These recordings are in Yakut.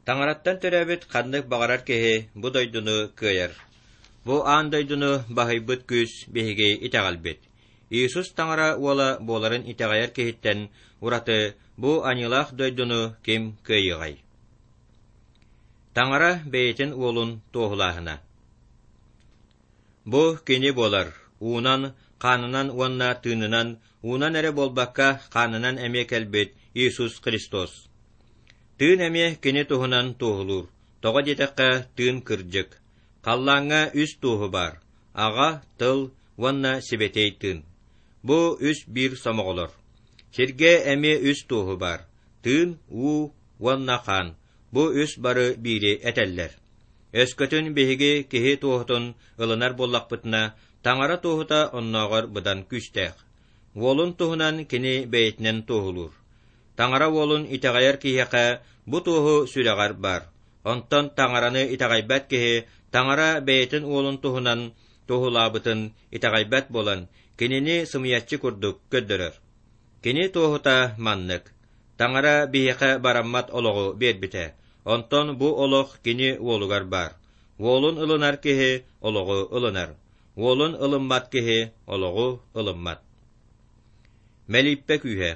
Таҥараттан төрөөбүт ханнык баҕарар киһи бу дойдуну кыайар. Бу аан дойдуну баһыйбыт күүс биһиги итэҕэлбит. Иисус Таҥара уола буоларын итэҕэйэр киһиттэн ураты бу аньыылаах дойдуну ким кыайыаҕай? Таҥара бэйэтин уолун туоһулааһына Бу кини буолар, уунан, хаанынан уонна тыынынан, уунан эрэ буолбакка, хаанынан эмиэ кэлбит Иисус Христос. Тыын эмиэ кини туһунан туоһулуур, тоҕо диэтэххэ, тыын кырдьык. Халлааҥҥа үс туоһу баар: Аҕа, Тыл уонна Сибэтиэй Тыын. Бу үс биир сомоҕолор. Сиргэ эмиэ үс туоһу баар: тыын, уу уонна хаан. Бу үс бары биири этэллэр. Өскөтүн биһиги киһи туоһутун ылынар буоллахпытына, Таҥара туоһута оннооҕор быдан күүстээх. Уолун туһунан кини бэйэтинэн туоһулуур. Таҥара уолун итэҕэйэр киһиэхэ бу туоһу сүрэҕэр баар. Онтон Таҥараны итэҕэйбэт киһи Таҥара бэйэтин уолун туһунан туоһулаабытын итэҕэйбэт буолан, кинини сымыйаччы курдук көрдөрөр. Кини туоһута маннык: Таҥара биһиэхэ бараммат олоҕу биэрбитэ, онтон бу олох кини уолугар баар. Уолун ылынар киһи олоҕу ылынар, уолун ылыммат киһи олоҕу ылыммат. Мэлииппэ күүһэ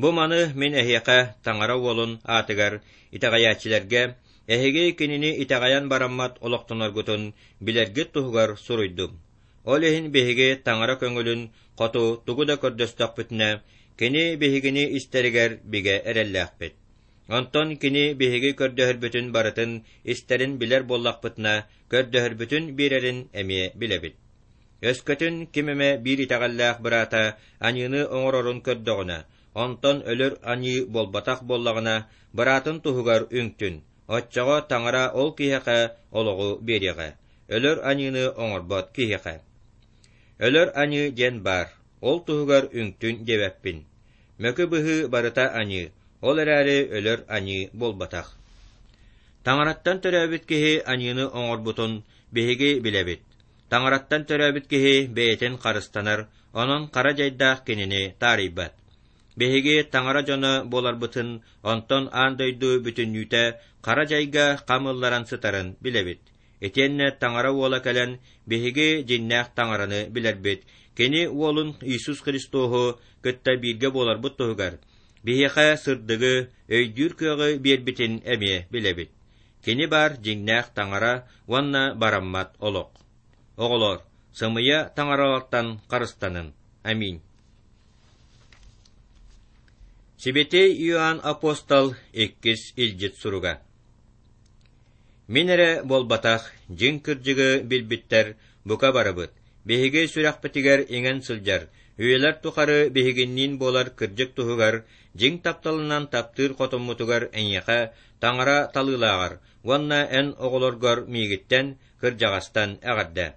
Бу маны мин эһиэхэ Таҥара Уолун аатыгар итэҕэйээччилэргэ эһиги кинини итэҕэйэн бараммат олохтоноргутун билэргит туһугар суруйдум. Ол иһин биһиги Таҥара көҥүлүн хоту тугу да көрдөстөхпүтүнэ, кини биһигини истэригэр бигэ эрэллээхпит. Онтон кини биһиги көрдөһөрбүтүн барытын истэрин билэр буоллахпытына, көрдөһөрбүтүн биэрэрин эмиэ билэбит. Өскөтүн ким эмэ биир итэҕэллээх быраата аньыыны оҥорорун көрдөҕүнэ, онтон өлөр аньыы буолбатах буоллаҕына, быраатын туһугар үҥтүн, оччоҕо Таҥара ол киһиэхэ олоҕу биэриэҕэ, өлөр аньыыны оҥорбот киһиэхэ. Өлөр аньыы диэн баар, ол туһугар үҥтүн диэбэппин. Мөкү быһыы барыта аньыы, ол эрээри өлөр аньыы буолбатах. Таҥараттан төрөөбүт киһи аньыыны оҥорбутун биһиги билэбит. Таҥараттан төрөөбүт киһи бэйэтин харыстанар, онон хара дьайдаах кинини таарыйбат. Биһиги таҥара дьоно буоларбытын, онтон аан дойду бүтүннүүтэ хара дьайга хам ылларан сытарын билэбит. Итиэннэ Таҥара Уола кэлэн, биһиги дьиҥнээх Таҥараны билэрбит, Кини Уолун Иисус Христоһу кытта бииргэ буоларбыт туһугар, биһиэхэ сырдыгы, өйдүүр кыаҕы биэрбитин эмиэ билэбит. Кини баар дьиҥнээх Таҥара уонна бараммат олох. Оҕолоор, сымыйа таҥаралартан харыстанын. Аминь. Сибэтиэй Иоанн апостол иккис илдьит суруга. Мин эрэ буолбатах, дьиҥ кырдьыгы билбиттэр бука барыбыт, биһиги сүрэхпитигэр иҥэн сылдьар, үйэлэр тухары биһигинниин буолар кырдьык туһугар дьиҥ тапталынан таптыыр хотуммутугар эйиэхэ Таҥара талыылааҕар уонна эн оҕолоргор миигиттэн, кырдьаҕастан эҕэрдэ.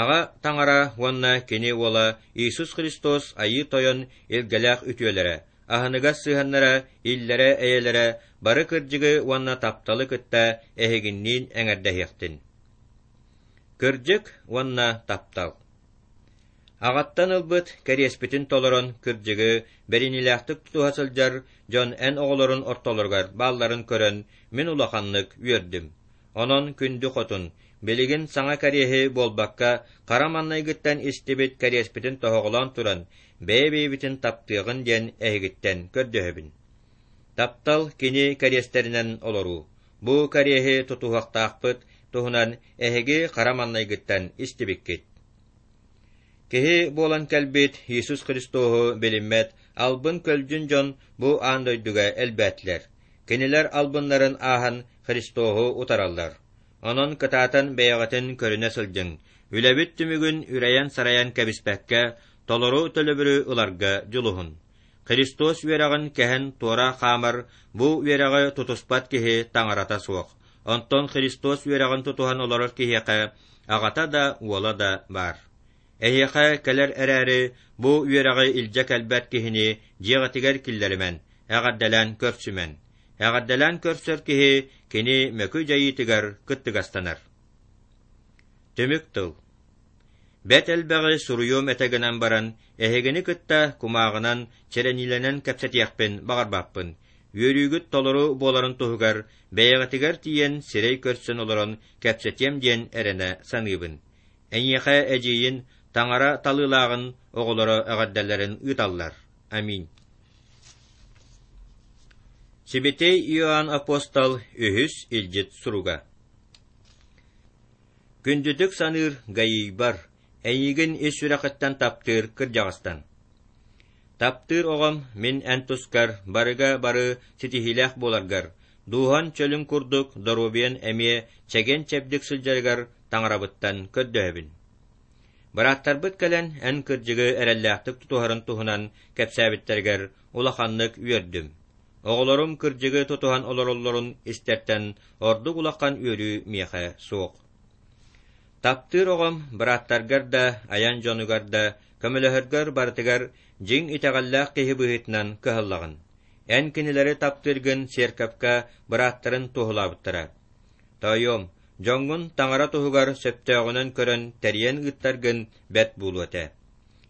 Аҕа Таҥара уонна Кини Уола Иисус Христос Айыы Тойон илгэлээх үтүөлэрэ, аһыныгас сыһыаннара, иллэрэ-эйэлэрэ бары кырдьыгы уонна тапталы кытта эһигинниин эҥэрдэһиэхтин. Кырдьык уонна таптал Аҕаттан ылбыт кэриэспитин толорон кырдьыгы бэриниилээхтик тутуһа сылдьар дьон эн оҕолорун ортолоругар баалларын көрөн мин улаханнык үөрдүм. Онон күндү хотун, билигин саҥа кэриэһи буолбакка, хара маннайгыттан истибит кэриэспитин тоһоҕолоон туран, бэйэ-бэйэбитин таптыаҕын диэн эһигиттэн көрдөһөбүн. Таптал кини кэриэстэринэн олоруу. Бу кэриэһи тутуһуохтаахпыт туһунан эһиги хара маннайгыттан истибиккит. Киһи буолан кэлбит Иисус Христоһу билиммэт албын-көлдьүн дьон бу аан дойдуга элбээтилэр. Кинилэр албыннарын ааһан Христоһу утараллар. Онон кытаатан бэйэҕитин көрүнэ сылдьыҥ, үлэбит түмүгүн үрэйэн-сарайан кэбиспэккэ, толору төлөбүрү ыларга дьулуһун. Христос үөрэҕин кэһэн туора хаамар бу үөрэҕи тутуспат киһи таҥарата суох. Онтон Христос үөрэҕин тутуһан олорор киһиэхэ аҕата да, уола да баар. Эһиэхэ кэлэр эрээри, бу үөрэҕи илдьэ кэлбэт киһини дьиэҕитигэр киллэримэн, эҕэрдэлээн көрсүмэн. Эҕэрдэлээн көрсөр киһи кини мөкү дьайыытыгар кыттыгастанар. Түмүк тыл Бэт элбэҕи суруйуом этэ гынан баран, эһигини кытта кумааҕынан, чэрэниилэнэн кэпсэтиэхпин баҕарбаппын. үөрүүгүт толору буоларын туһугар бэйэҕитигэр тиийэн сирэй көрсөн олорон кэпсэтиэм диэн эрэнэ саныыбын. Эйиэхэ эдьиийин Таҥара талыылааҕын оҕолоро эҕэрдэлэрин ыыталлар. Аминь. Сибэтиэй Иоанн Апостол үһүс илдьит суруга. Күндүтүк саныыр Гаийбар, эйигин ис сүрэхиттэн таптыыр кырдьаҕастан. Таптыыр оҕом, мин эн тускар барыга бары ситиһиилээх буоларгар, дууһан чөлүн курдук доруобуйан эмиэ чэгиэн-чэбдик сылдьарыгар таҥарабыттан көрдөһөбүн. Бырааттарбыт кэлэн эн кырдьыгы эрэллээхтик тутуһарын туһунан кэпсээбиттэригэр улаханнык үөрдүм. Оҕолорум кырдьыгы тутуһан олороллорун истэртэн ордук улахан үөрүү миэхэ суох. Таптыыр оҕом бырааттаргар да, айан дьонугар да көмөлөһөргөр барытыгар дьиҥ итэҕэллээх киһи быһыытынан кыһаллаҕын. Эн кинилэри таптыыргын сиэркэпкэ бырааттарын туоһулаабыттара. Тоойуом, дьоҥҥун таҥара туһугар сөптөөҕүнэн көрөн тэрийэн ыыттаргын бэрт буолуо этэ.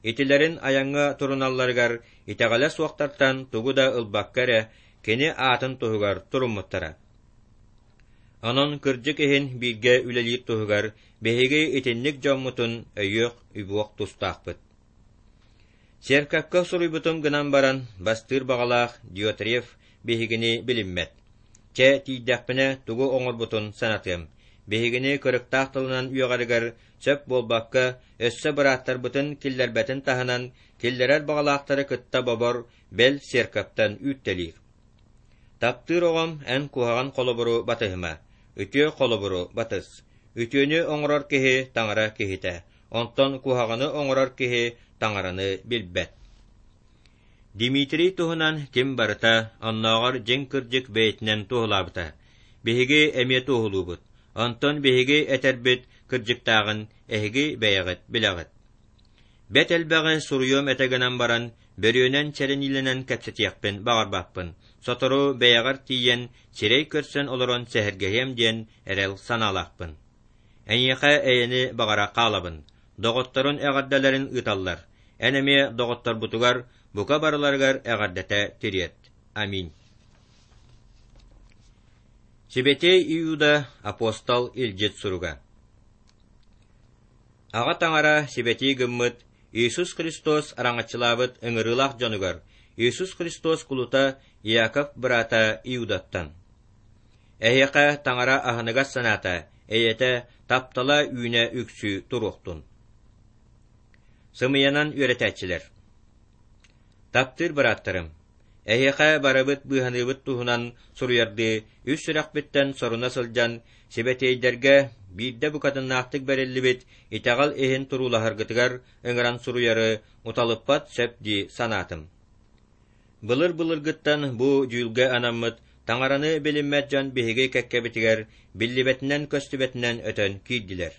Итилэрин айаҥҥа туруналларыгар итэҕэлэ суохтартан тугу да ылбакка эрэ кини аатын туһугар туруммуттара. Онон кырдьык иһин бииргэ үлэлиир туһугар биһиги итинник дьоммутун өйүөх-үбүөх тустаахпыт. Сиэркэпкэ суруйбутум гынан баран, бастыыр баҕалаах Диотреф биһигини билиммэт. Чэ, тиийдэхпинэ тугу оҥорбутун санатыам. Биһигини кырыктаах тылынан үөҕэригэр сөп буолбакка, өссө бырааттарбытын киллэрбэтин таһынан, киллэрэр баҕалаахтары кытта бобор, бэл сиэркэптэн үүттэлиир. Таптыыр оҕом, эн куһаҕан холобуру батыһыма, үтүө холобуру батыс. Үтүөнү оҥорор киһи таҥара киһитэ, онтон куһаҕаны оҥорор киһи таҥараны билбэт. Дмитрий туһунан ким барыта, оннооҕор дьиҥ-кырдьык бэйэтинэн туоһулаабыта. Биһиги эмиэ туоһулуубут, онтон биһиги этэрбит кырдьыктааҕын эһиги бэйэҕит билэҕит. Бэт элбэҕи суруйуом этэ гынан баран, бөрүөнэн чэрэниилэнэн кэпсэтиэхпин баҕарбаппын, сотору бэйэҕэр тиийэн, сирэй көрсөн олорон сэһэргэһиэм диэн эрэл санаалаахпын. Эйиэхэ эйэни баҕара хаалабын. Доҕотторун эҕэрдэлэрин ыыталлар. Эн эмиэ доҕотторбутугар бука барыларыгар эҕэрдэтэ тириэрт. Аминь. Сибэтиэй Иуда апостол илдьит суруга. Аҕа Таҥара сибэтии гыммыт Иисус Христос араҥаччылаабыт ыҥырыылаах дьонугар Иисус Христос кулута Иаков быраата Иудаттан. Эһиэхэ Таҥара аһыныгас санаата, эйэтэ, таптала үүнэ үксүү туруохтун. Сымыйанан үөрэтээччилэр Таптыыр бырааттарым, эһиэхэ барыбыт быыһаныыбыт туһунан суруйардыы үс сүрэхпиттэн соруна сылдьан, сибэтиэйдэргэ биирдэ букатыннаахтык бэриллибит итэҕэл иһин туруулаһаргытыгар ыҥыран суруйары уталыппат сөп дии санаатым. Былыр-былыргыттан бу дьүүлгэ анаммыт таҥараны билиммэт дьон биһиги кэккэбитигэр биллибэтинэн-көстүбэтинэн өтөн киирдилэр.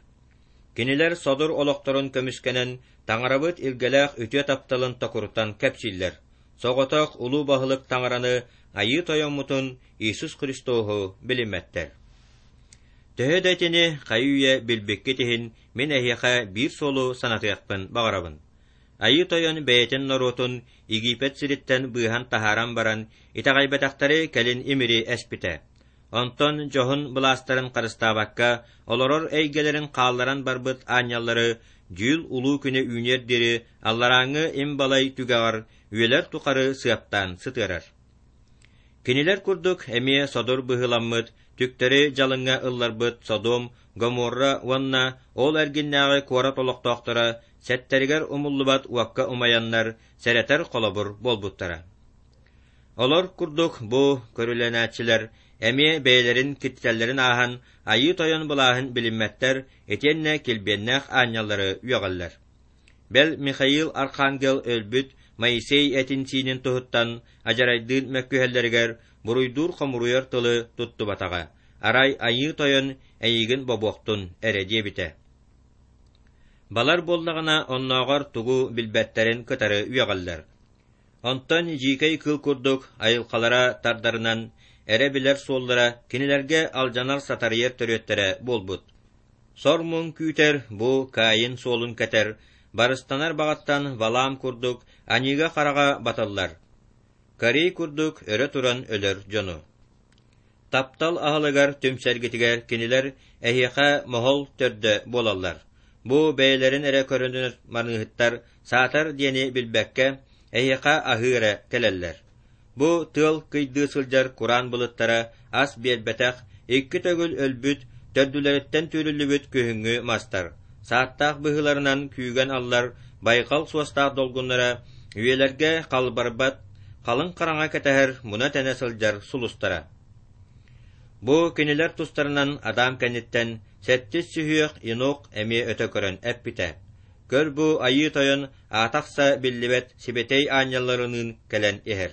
Кинилэр содур олохторун көмүскэнэн таҥарабыт илгэлээх үтүө тапталын токурутан кэпсииллэр, соҕотох улуу баһылык таҥараны Айыы Тойоммутун Иисус Христоһу билиммэттэр. Төһө да итини хайы-үйэ билбиккит иһин мин эһиэхэ биир суолу санатыахпын баҕарабын. Айыы Тойон бэйэтин норуотун Египет сириттэн быыһан таһааран баран, итэҕэйбэтэхтэри кэлин имири эспитэ. Онтон дьоһун былаастарын харыстаабакка, олорор эйгэлэрин хаалларан барбыт аанньаллары дьүүл улуу күнэ үүнүөр диэри алларааҥҥы им-балай түгэҕэр үйэлэр тухары сыаптаан сытыарар. Кинилэр курдук эмиэ содур быһыыламмыт, түктэри дьалыҥҥа ылларбыт Содом, Гоморра уонна ол эргиннээҕи куорат олохтоохторо сэттэригэр умуллубат уокка умайаннар сэрэтэр холобур буолбуттара. Олор курдук бу көрүлэнээччилэр эмиэ бэйэлэрин киттэллэрин ааһан Айыы Тойон былааһын билиммэттэр итиэннэ килбиэннээх аанньаллары үөҕэллэр. Бэл Михаил Архангел өлбүт Моисей этин-сиинин туһуттан адьарайдыын мөккүһэллэригэр буруйдуур-хомуруйар тылы туттубатаҕа, арай Айыы Тойон эйигин бобуохтун эрэ диэбитэ. Балар буоллаҕына оннооҕор тугу билбэттэрин кытары үөҕэллэр. Онтон дьиикэй кыыл курдук айылҕалара тардарынан эрэ билэр суоллара кинилэргэ алдьанар-сатарыйар төрүөттэрэ буолбут. Сор-муҥ күүтэр бу Каин суолун кэтэр, барыстанар баҕаттан Валаам курдук аньыыга-хараҕа баталлар. Корей курдук өрө туран өлөр дьону. Таптал аһылыгар түмсэргитигэр кинилэр эһиэхэ моһол төрдө буолаллар. Бу бэйэлэрин эрэ көрүнэр маныыһыттар саатар диэни билбэккэ, эһиэхэ аһыы эрэ кэлэллэр. Бу тыал кыйдыы сылдьар кураан былыттара ас биэрбэтэх, икки төгүл өлбүт, төрдүлэриттэн түүрүллүбүт күһүҥҥү мастар, сааттаах быһыыларынан күүгэн аллар байҕал суостаах долгуннара үйэлэргэ халбарбат, халыҥ хараҥа кэтэһэр муна-тэнэ сылдьар сулустара. Бу кинилэр тустарынан Адам кэнниттэн сэттис сүһүөх Енох эмиэ өтө көрөн эппитэ. Көр бу Айыы Тойон аата-ахса биллибэт сибэтиэй аанньалларыныын кэлэн иһэр.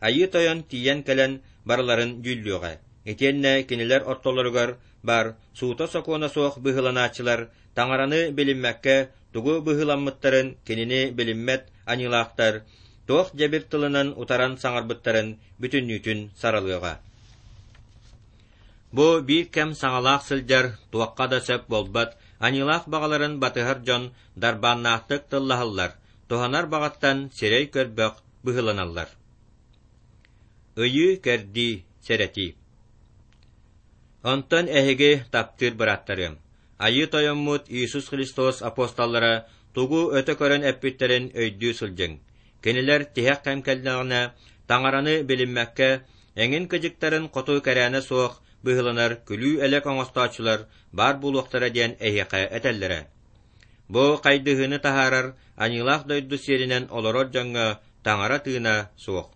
Айыы Тойон тиийэн кэлэн барыларын дьүүллүөҕэ, итиэннэ кинилэр ортолоругар баар суута-сокуона суох быһыыланааччылар Таҥараны билиммэккэ тугу быһыыламмыттарын кинини билиммэт аньыылаахтар туох дьэбир тылынан утаран саҥарбыттарын бүтүннүүтүн саралыаҕа. Бу биир кэм саҥалаах сылдьар, туохха да сөп буолбат, аньыылаах баҕаларын батыһар дьон дарбааннаахтык тыллаһаллар, туһанар баҕаттан сирэй көрбөх быһыыланаллар. Ыйыы-кэрдии, сэрэтии. Онтон эһиги таптыыр бырааттарыам, Айыы Тойоммут Иисус Христос апостоллара тугу өтө көрөн эппиттэрин өйдүү сылдьыҥ. Кинилэр тиһэх кэм кэллэҕинэ, Таҥараны билиммэккэ, эҥин кыдьыктарын хоту кэрээнэ суох быһыыланар күлүү-элэк оҥостооччулар баар буолуохтара диэн эһиэхэ этэллэрэ. Бу хайдыһыыны таһаарар аньыылаах дойду сиэринэн олорор дьоҥҥо Таҥара тыына суох.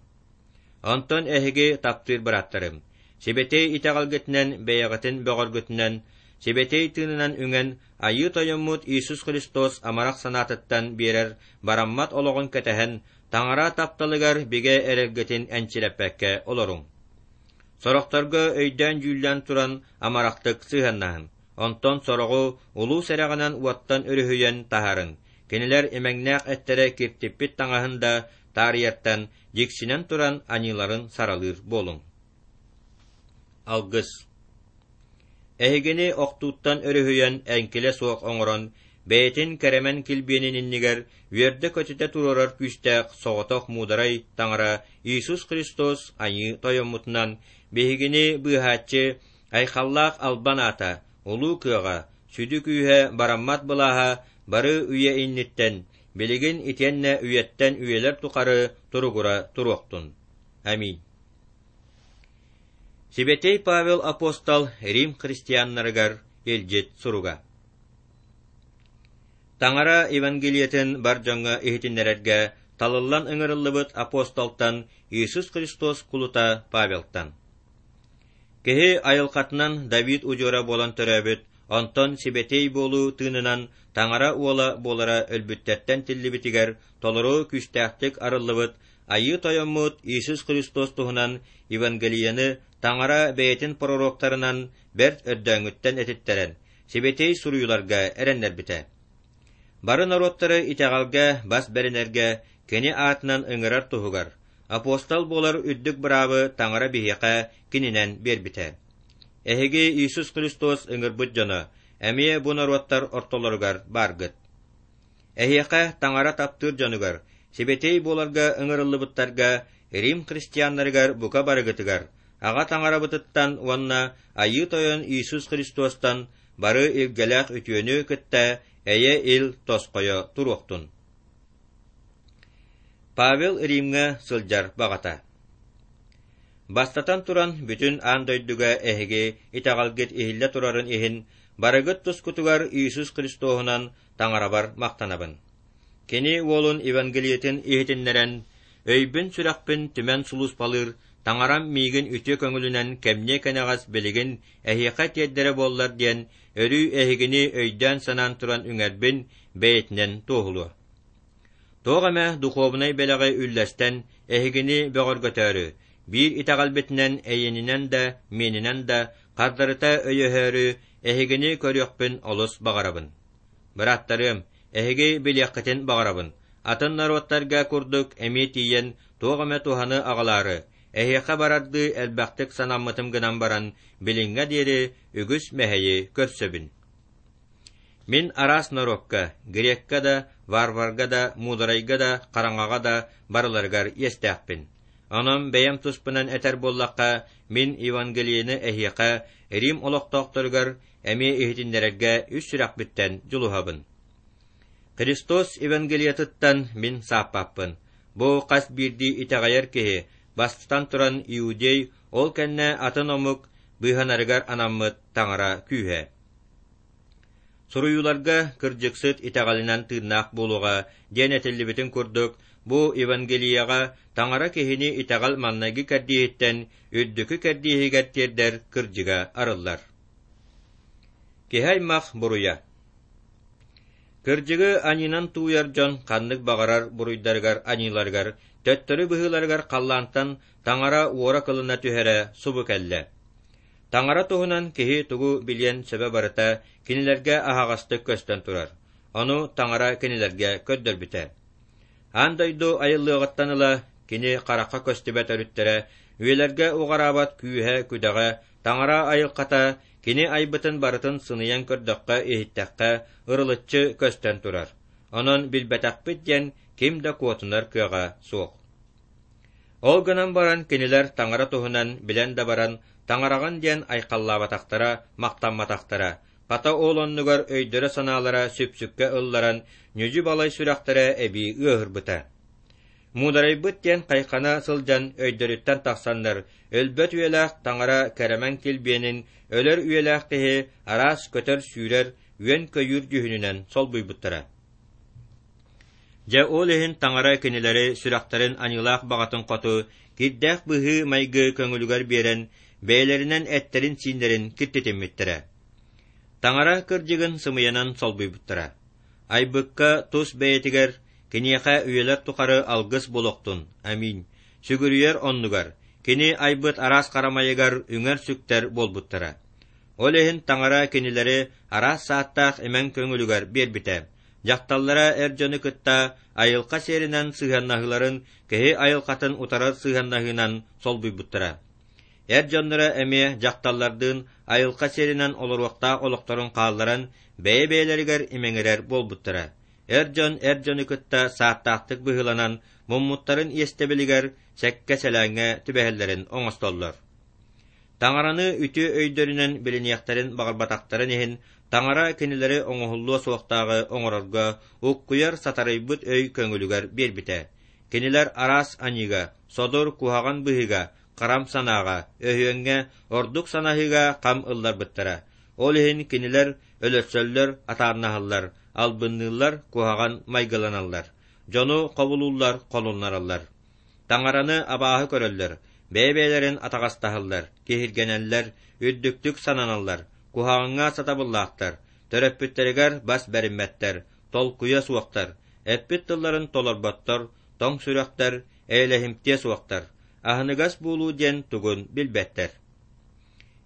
Онтон эһиги таптыыр бырааттарым, сибэтиэй итэҕэлгитинэн бэйэҕитин бөҕөргүтүнэн, сибэтиэй тыынынан үҥэн Айыы Тойоммут Иисус Христос амарах санаатыттан биэрэр бараммат олоҕун кэтэһэн, Таҥара тапталыгар бигэ эрэлгитин энчирэппэккэ олоруҥ. Сорохторго өйдөөн-дьүүллээн туран амарахтык сыһыаннаһыҥ, онтон сороҕу улуу сэрэҕинэн уоттан өрүһүйэн таһаарыҥ, кинилэр имэҥнээх эттэрэ киртиппит таҥаһын да таарыйартан дьиксинэн туран аньыыларын саралыыр буолуҥ. Алгыс Эһигини охтууттан өрүһүйэн эҥкилэ суох оҥорон, бэйэтин кэрэмэн килбиэнин иннигэр үөрдэ-көтүтэ туруорар күүстээх соҕотох муударай Таҥара Иисус Христос Айыы Тойоммутунан биһигини быыһааччы айхаллаах албан аата, улуу кыаҕа, сүдү күүһэ, бараммат былааһа бары үйэ инниттэн, билигин итиэннэ үйэттэн үйэлэр тухары туругура туруохтун. Аминь. Сибэтиэй Павел апостол Рим христианнарыгар илдьит суруга. Таҥара Евангелиетын бар дьоҥҥо иһитиннэрэргэ талыллан ыҥырыллыбыт апостолтан Иисус Христос кулута Павелтан. Киһи айылҕатынан Давид удьуора буолан төрөөбүт, онтон сибэтиэй буолуу тыынынан Таҥара уола буолара өлбүттэртэн тиллибитигэр толору күүстээхтик арыллыбыт Айыы Тойоммут Иисус Христос туһунан Евангелиены Таҥара бэйэтин пророктарынан бэрт өрдөөҥҥүттэн этиттэрэн, сибэтиэй суруйууларга эрэннэрбитэ. Бары норуоттары итэҕэлгэ бас бэринэргэ Кини аатынан ыҥырар туһугар, апостол буолар үрдүк быраабы Таҥара биһиэхэ Кининэн биэрбитэ. Эһиги Иисус Христос ыҥырбыт дьоно, эмиэ бу норуоттар ортолоругар бааргыт. Эһиэхэ Таҥара таптыыр дьонугар, сибэтиэй буоларга ыҥырыллыбыттарга Рим христианнарыгар бука барыгытыгар, Аҕа Таҥарабытыттан уонна Айыы Тойон Иисус Христостан бары илгэлээх үтүөнү кытта эйэ-ил тосхойо туруохтун. Павел Римҥэ сылдьар баҕата Бастатан туран, бүтүн аан дойдуга эһиги итэҕэлгит иһиллэ турарын иһин, барыгыт тускутугар Иисус Христоһунан Таҥарабар махтанабын. Кини уолун Евангелиетын иһитиннэрэн, өйбүн-сүрэхпин түмэн сулууспалыыр Таҥарам миигин үтүө көҥүлүнэн кэмниэ-кэнэҕэс билигин эһиэхэ тиэрдэрэ буоллар диэн, өрүү эһигини өйдөөн-санаан туран үҥэрбин бэйэтинэн туоһулуо. Туох эмэ духуобунай бэлэҕи үллэстэн эһигини бөҕөргөтөөрү, биир итэҕэлбитинэн эйиэнинэн да, миэнинэн да хардарыта өйөһөөрү эһигини көрүөхпүн олус баҕарабын. Бырааттарыам, эһиги билиэххитин баҕарабын, атын норуоттарга курдук эмиэ тиийэн туох эмэ туһаны аҕалаары, эһиэхэ барардыы элбэхтик санаммытым гынан баран, билиҥҥэ диэри үгүс мэһэйи көрсөбүн. Мин араас норуокка, греккэ да, варварга да, муударайга да, хараҥаҕа да барыларыгар иэстээхпин. Онон бэйэм туспунан этэр буоллахха, мин Евангелиены эһиэхэ, Рим олохтоохторугар, эмиэ иһитиннэрэргэ үс сүрэхпиттэн дьулуһабын. Христос Евангелиетыттан мин сааппаппын. Бу хас биирдии итэҕэйэр киһи, бастатан туран иудей, ол кэннэ атын омук быыһанарыгар анаммыт Таҥара күүһэ. Суруйууларга кырдьыксыт итэҕэлинэн тыыннаах буолуоҕа диэн этиллибитин курдук, бу Евангелиеҕа Таҥара киһини итэҕэл маҥнайгы кэрдииһиттэн үрдүкү кэрдииһигэр тиэрдэр кырдьыга арыллар. Киһи аймах буруйа Кырдьыгы аньыынан тууйар дьон ханнык баҕарар буруйдарыгар-аньыыларыгар төттөрү быһыыларыгар халлаантан Таҥара уора-кылына түһэрэ субу кэллэ. Таҥара туһунан киһи тугу билиэн сөбө барыта кинилэргэ аһаҕастык көстөн турар, ону Таҥара кинилэргэ көрдөрбүтэ. Аан дойду айыллыаҕыттан ыла кини харахха көстүбэт өрүттэрэ, үйэлэргэ уҕараабат күүһэ-күдэҕэ, Таҥара айылҕата кини айбытын барытын сыныйан көрдөххө-иһиттэххэ ырылыччы көстөн турар. Онон билбэтэхпит диэн ким да куотунар кыаҕа суох. Ол гынан баран кинилэр Таҥара туһунан билэн да баран Таҥараҕын диэн айхаллаабатахтара, махтамматахтара, хата ол оннугар өйдөрө-санаалара сүпсүккэ ылларан, ньүдьү-балай сүрэхтэрэ эбии ыаһырбыта. Муударайбыт диэн хайхана сылдьан өйдөрүттэн тахсаннар, өлбөт үйэлээх Таҥара кэрэмэн килбиэнин өлөр үйэлээх киһи араас көтөр-сүүрэр, үөн-көйүүр дьүһүнүнэн солбуйбуттара. Дьэ ол иһин Таҥара кинилэри сүрэхтэрин аньыылаах баҕатын хоту кирдээх быһыы-майгы көҥүлүгэр биэрэн, бэйэлэринэн эттэрин-сииннэрин киртитиммиттэрэ. Таҥара кырдьыгын сымыйанан солбуйбуттара. Айбыкка тус бэйэтигэр, киниэхэ үйэлэр тухары алгыс буолуохтун, аминь, сүгүрүйэр оннугар, кини айбыт араас харамайыгар үҥэр-сүктэр буолбуттара. Ол иһин Таҥара кинилэри араас сааттаах имэҥ көҥүлүгэр биэрбитэ, Дьахталлара эр дьону кытта айылҕа сиэринэн сыһыаннаһыыларын киһи айылҕатын утарар сыһыаннаһыынан солбуйбуттара. Эр дьонноро эмиэ дьахталлардыын айылҕа сиэринэн олоруохтаах олохторун хаалларан, бэйэ-бэйэлэригэр имэҥирэр буолбуттара. Эр дьон эр дьону кытта сааттаахтык быһыыланан, муммуттарын иэстэбилигэр сэккэ-сэлээҥҥэ түбэһэллэрин оҥостоллор. Таҥараны үтүө өйдөрүнэн билиниэхтэрин баҕарбатахтарын иһин, Таҥара кинилэри оҥоһуллуо суохтааҕы оҥорорго уккуйар сатарыйбыт өй көҥүлүгэр биэрбитэ. Кинилэр араас аньыыга, содур куһаҕан быһыыга, харам санааҕа, өһүөҥҥэ, ордук санаһыыга хам ылларбыттара. Ол иһин кинилэр өлөрсөллөр, атаарнаһаллар, албынныыллар, куһаҕан майгыланаллар, дьону хобулууллар, холуннараллар. Таҥараны абааһы көрөллөр, бэйэ-бэйэлэрин атаҕастаһаллар, киһиргэнэллэр, үрдүктүк сананаллар, куһаҕаҥҥа сатабыллаахтар, төрөппүттэригэр бас бэриммэттэр, толкуйа суохтар, эппит тылларын толорботтор, тоҥ сүрэхтэр, эйэлэһимтиэ суохтар, аһыныгас буолуу диэн тугун билбэттэр.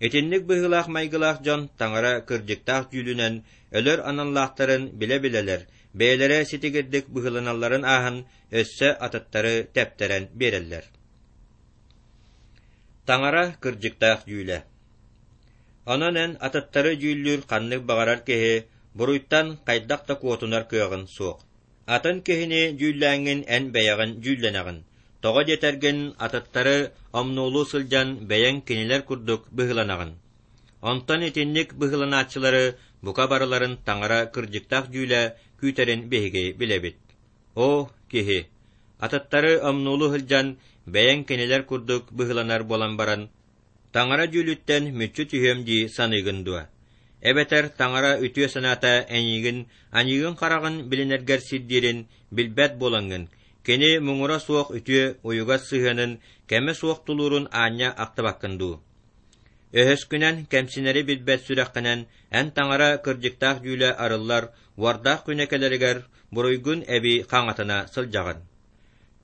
Итинник быһыылаах-майгылаах дьон Таҥара кырдьыктаах дьүүлүнэн өлөр аналлаахтарын билэ-билэлэр, бэйэлэрэ ситигирдик быһыыланалларын ааһан өссө атыттары тэптэрэн биэрэллэр. Таҥара кырдьыктаах дьүүлэ Онон эн атыттары дьүүллүүр ханнык баҕарар киһи буруйтан хайдах да куотунар кыаҕын суох. Атын киһини дьүүллээҥҥин эн бэйэҕин дьүүллэнэҕин. Тоҕо диэтэргин, атыттары омнуолуу сылдьан бэйэҥ кинилэр курдук быһыыланаҕын. Онтон итинник быһыыланааччылары бука барыларын Таҥара кырдьыктаах дьүүлэ күүтэрин биһиги билэбит. Оо, киһи! Атыттары омнуолуу сылдьан бэйэҥ кинилэр курдук быһыыланар буолан баран, Таҥара дьүүлүттэн мүччү түһүөм дии саныыгын дуо? Эбэтэр Таҥара үтүө санаата эйигин аньыыгын хараҕын билинэргэр сирдиирин билбэт буолаҥҥын, кини муҥура суох үтүө уйугас сыһыанын кэмэ суох тулуурун аанньа ахтыбаккын дуу? Өһөскүнэн, кэмсинэри билбэт сүрэххинэн эн Таҥара кырдьыктаах дьүүлэ арыллар уордаах күнэ кэлэригэр буруйгун эбии хаҥатына сылдьаҕын.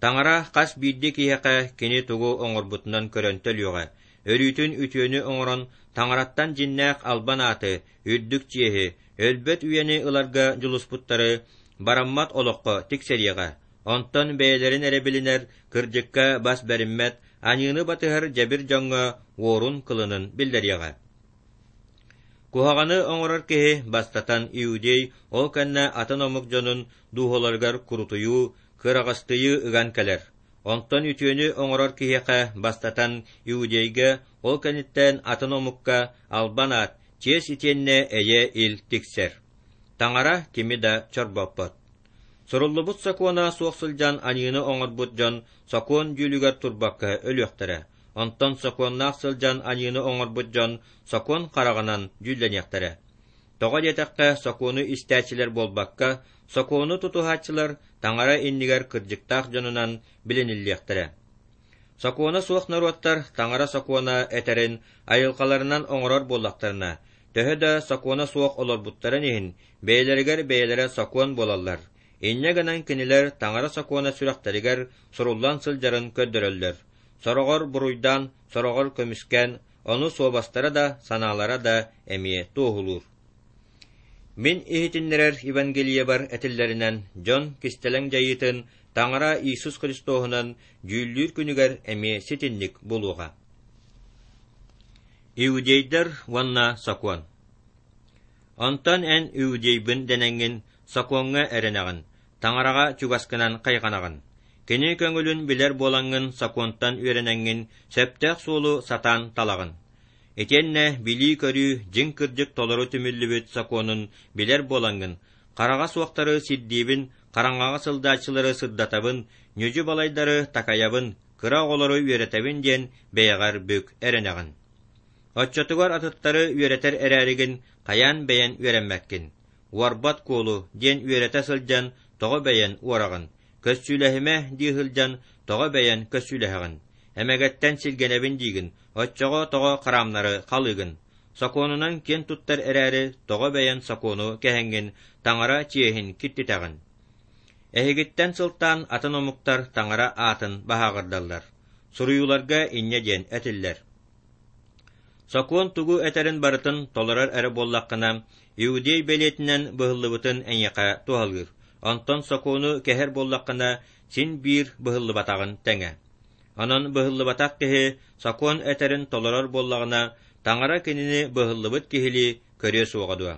Таҥара хас биирдии киһиэхэ кини тугу оҥорбутунан көрөн төлүөҕэ, өрүүтүн үтүөнү оҥорон Таҥараттан дьиннээх албан ааты, үрдүк чиэһи, өлбөт үйэни ыларга дьулуспуттары бараммат олоххо тиксэриэҕэ, онтон бэйэлэрин эрэ билинэр, кырдьыкка бас бэриммэт, аньыыны батыһар дьэбир дьоҥҥо уорун-кылынын биллэриэҕэ. Куһаҕаны оҥорор киһи бастатан иудей, ол кэннэ атын омук дьонун дууһаларыгар курутуйуу, кыараҕастыйыы ыган кэлэр. Онтон үтүөнү оҥорор киһиэхэ бастатан иудейга, ол кэнниттэн атын омукка албан аат, чиэс итиэннэ эйэ-ил тиксэр. Таҥара кими да чорбоппот. Суруллубут сокуона суох сылдьан аньыыны оҥорбут дьон сокуон дьүүлүгэр турбакка өлүөхтэрэ, онтон сокуоннаах сылдьан аньыыны оҥорбут дьон сокуон хараҕынан дьүүллэниэхтэрэ. Тоҕо диэтэххэ, сокуону истээччилэр буолбакка, сокуону тутуһааччылар Таҥара иннигэр кырдьыктаах дьонунан билиниллиэхтэрэ. Сокуона суох норуоттар Таҥара сокуона этэрин айылҕаларынан оҥорор буоллахтарына, төһө да сокуона суох олорбуттарын иһин, бэйэлэригэр бэйэлэрэ сокуон буолаллар. Инньэ гынан кинилэр Таҥара сокуона сүрэхтэригэр суруллан сылдьарын көрдөрөллөр. Сороҕор буруйдаан, сороҕор көмүскээн, ону суобастара да, санаалара да эмиэ туоһулуур. Мин иһитиннэрэр Евангелиебар этиллэринэн, дьон кистэлэҥ дьайыытын Таҥара Иисус Христоһунан дьүүллүүр күнүгэр эмиэ ситинник буолуоҕа. Иудейдар уонна сокуон Онтон эн иудейбын дэнэҥҥин сокуоҥҥа эрэнэҕин, Таҥараҕа чугаскынан хайҕанаҕын. Кини көҥүлүн билэр буолаҥҥын сокуонтан үөрэнэҥҥин сөптөөх суолу сатаан талаҕын. Итиэннэ билии-көрүү дьиҥ кырдьык толору түмүллүбүт сокуонун билэр буолаҥҥын, хараҕа суохтары сирдиибин, хараҥаҕа сылдааччылары сырдатабын, ньүдьү балайдары такайабын, кыра оҕолору үөрэтэбин диэн бэйэҕэр бүк эрэнэҕин. Оччотугар атыттары үөрэтэр эрээригин хайаан бэйэн үөрэммэккин? Уорбат куолу диэн үөрэтэ сылдьан тоҕо бэйэн уораҕын? Көссүүлэһимэ дии сылдьан тоҕо бэйэн көссүүлэһэҕин? Эмэгэттэн сиргэнэбин диигин, оччоҕо тоҕо хараамнары халыыгын? Сокуонунан киэн туттар эрээри тоҕо бэйэн сокуону кэһэҥҥин таҥара чиэһин киртитэҕин? Эһигиттэн сылтаан атын омуктар таҥара аатын баһааҕырдаллар. Суруйууларга инньэ диэн этиллэр. Сокуон тугу этэрин барытын толорор эрэ буоллаххына, иудей бэлиэтинэн быһыллыбытын эйиэхэ туһалыыр, онтон сокуону кэһэр буоллаххына, син биир быһыллыбатаҕын тэҥэ. Онон быһыллыбатах киһи сокуон этэрин толорор буоллаҕына, Таҥара кинини быһыллыбыт киһилии көрүө суоҕа дуо?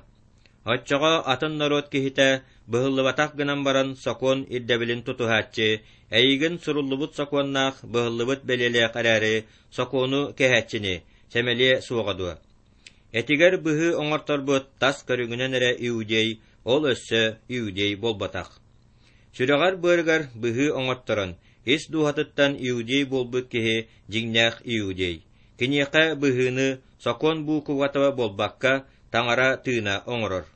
Оччоҕо атын норуот киһитэ быһыллыбатах гынан баран сокуон ирдэбилин тутуһааччы, эйигин суруллубут сокуоннаах быһыллыбыт бэлиэлээх эрээри сокуону кэһээччини сэмэлиэ суоҕа дуо? Этигэр быһыы оҥорторбут тас көрүҥүнэн эрэ иудей, ол өссө иудей буолбатах. Сүрэҕэр-быарыгар быһыы оҥотторон, ис дууһатыттан иудей буолбут киһи дьиҥнээх иудей. Киниэхэ быһыыны сокуон буукубата буолбакка, Таҥара тыына оҥорор.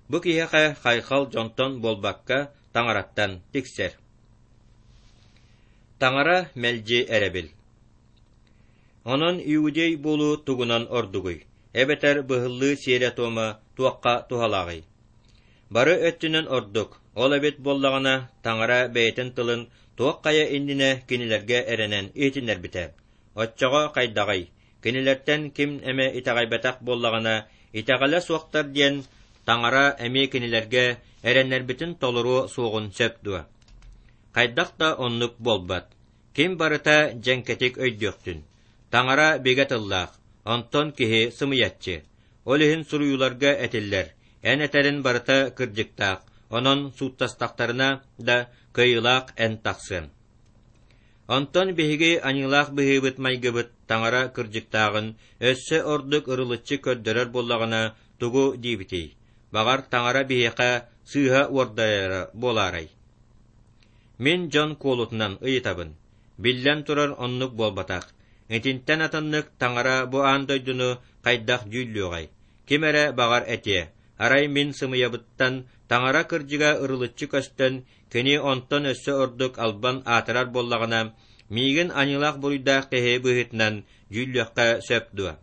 Бу киһиэхэ хайхал дьонтон буолбакка, Таҥараттан тиксэр. Таҥара мэлдьи эрэбил. Онон иудей буолуу тугунан ордугуй, эбэтэр быһыллыы сиэрэ-туома туохха туһалааҕый? Бары өттүнэн ордук, ол эбит буоллаҕына, Таҥара бэйэтин тылын туох хайа иннинэ кинилэргэ эрэнэн иһитиннэрбитэ. Оччоҕо хайдаҕый, кинилэртэн ким эмэ итэҕэйбэтэх буоллаҕына, итэҕэлэ суохтар диэн Таҥара эмиэ кинилэргэ эрэннэрбитин толоруо суоҕун сөп дуо? Хайдах да оннук буолбат. Ким барыта дьэҥкэтик өйдүөхтүн. Таҥара бигэ тыллаах, онтон киһи сымыйаччы. Ол иһин суруйууларга этиллэр: «Эн этэрин барыта кырдьыктаах, онон сууттастахтарына да кыайыылаах эн тахсыаҥ». Онтон биһиги аньыылаах быһыыбыт-майгыбыт Таҥара кырдьыктааҕын өссө ордук ырылыччы көрдөрөр буоллаҕына, тугу диибитий? Баҕар, Таҥара биһиэхэ сыыһа уордайара буолаарай? Мин дьон куолутунан ыйытабын. Биллэн турар, оннук буолбатах. Итинтэн атыннык Таҥара бу аан дойдуну хайдах дьүүллүөҕэй? Ким эрэ баҕар этиэ, арай мин сымыйабыттан Таҥара кырдьыга ырылыччы көстөн, кини онтон өссө ордук албан аатырар буоллаҕына, миигин аньыылаах буруйдаах киһи быһыытынан дьүүллүөххэ сөп дуо?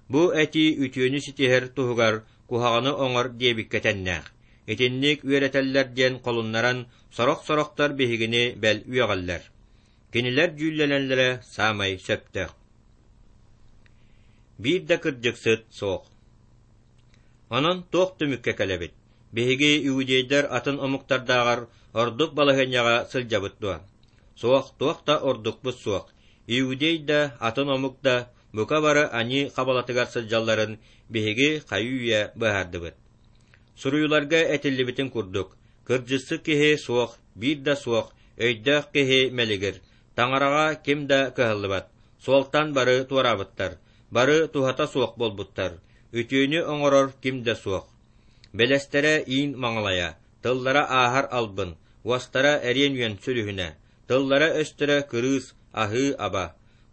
Бу этии үтүөнү ситиһэр туһугар куһаҕаны оҥор диэбиккэ тэннээх. Итинник үөрэтэллэр диэн холуннаран сорох-сорохтор биһигини бэл үөҕэллэр. Кинилэр дьүүллэнэллэрэ саамай сөптөөх. Биир да кырдьыксыт суох. Онон туох түмүккэ кэлэбит? Биһиги иудейдар атын омуктардааҕар ордук балаһыанньаҕа сылдьабыт дуо? Суох, туох да ордукпут суох. Иудей да, атын омук да бука бары аньыы хабалатыгар сылдьалларын биһиги хайыы-үйэ быһаардыбыт. Суруйууларга этиллибитин курдук, кырдьыксыт киһи суох, биир да суох, өйдөөх киһи мэлигир. Таҥараҕа ким да кыһаллыбат, суолтан бары туораабыттар, бары туһата суох буолбуттар, үтүөнү оҥорор ким да суох. Бэлэстэрэ иин маҥалайа, тыллара ааһар албын, уостара эриэн үөн сүлүһүнэ, тыллара-өстөрө кырыыс, аһыы-аба.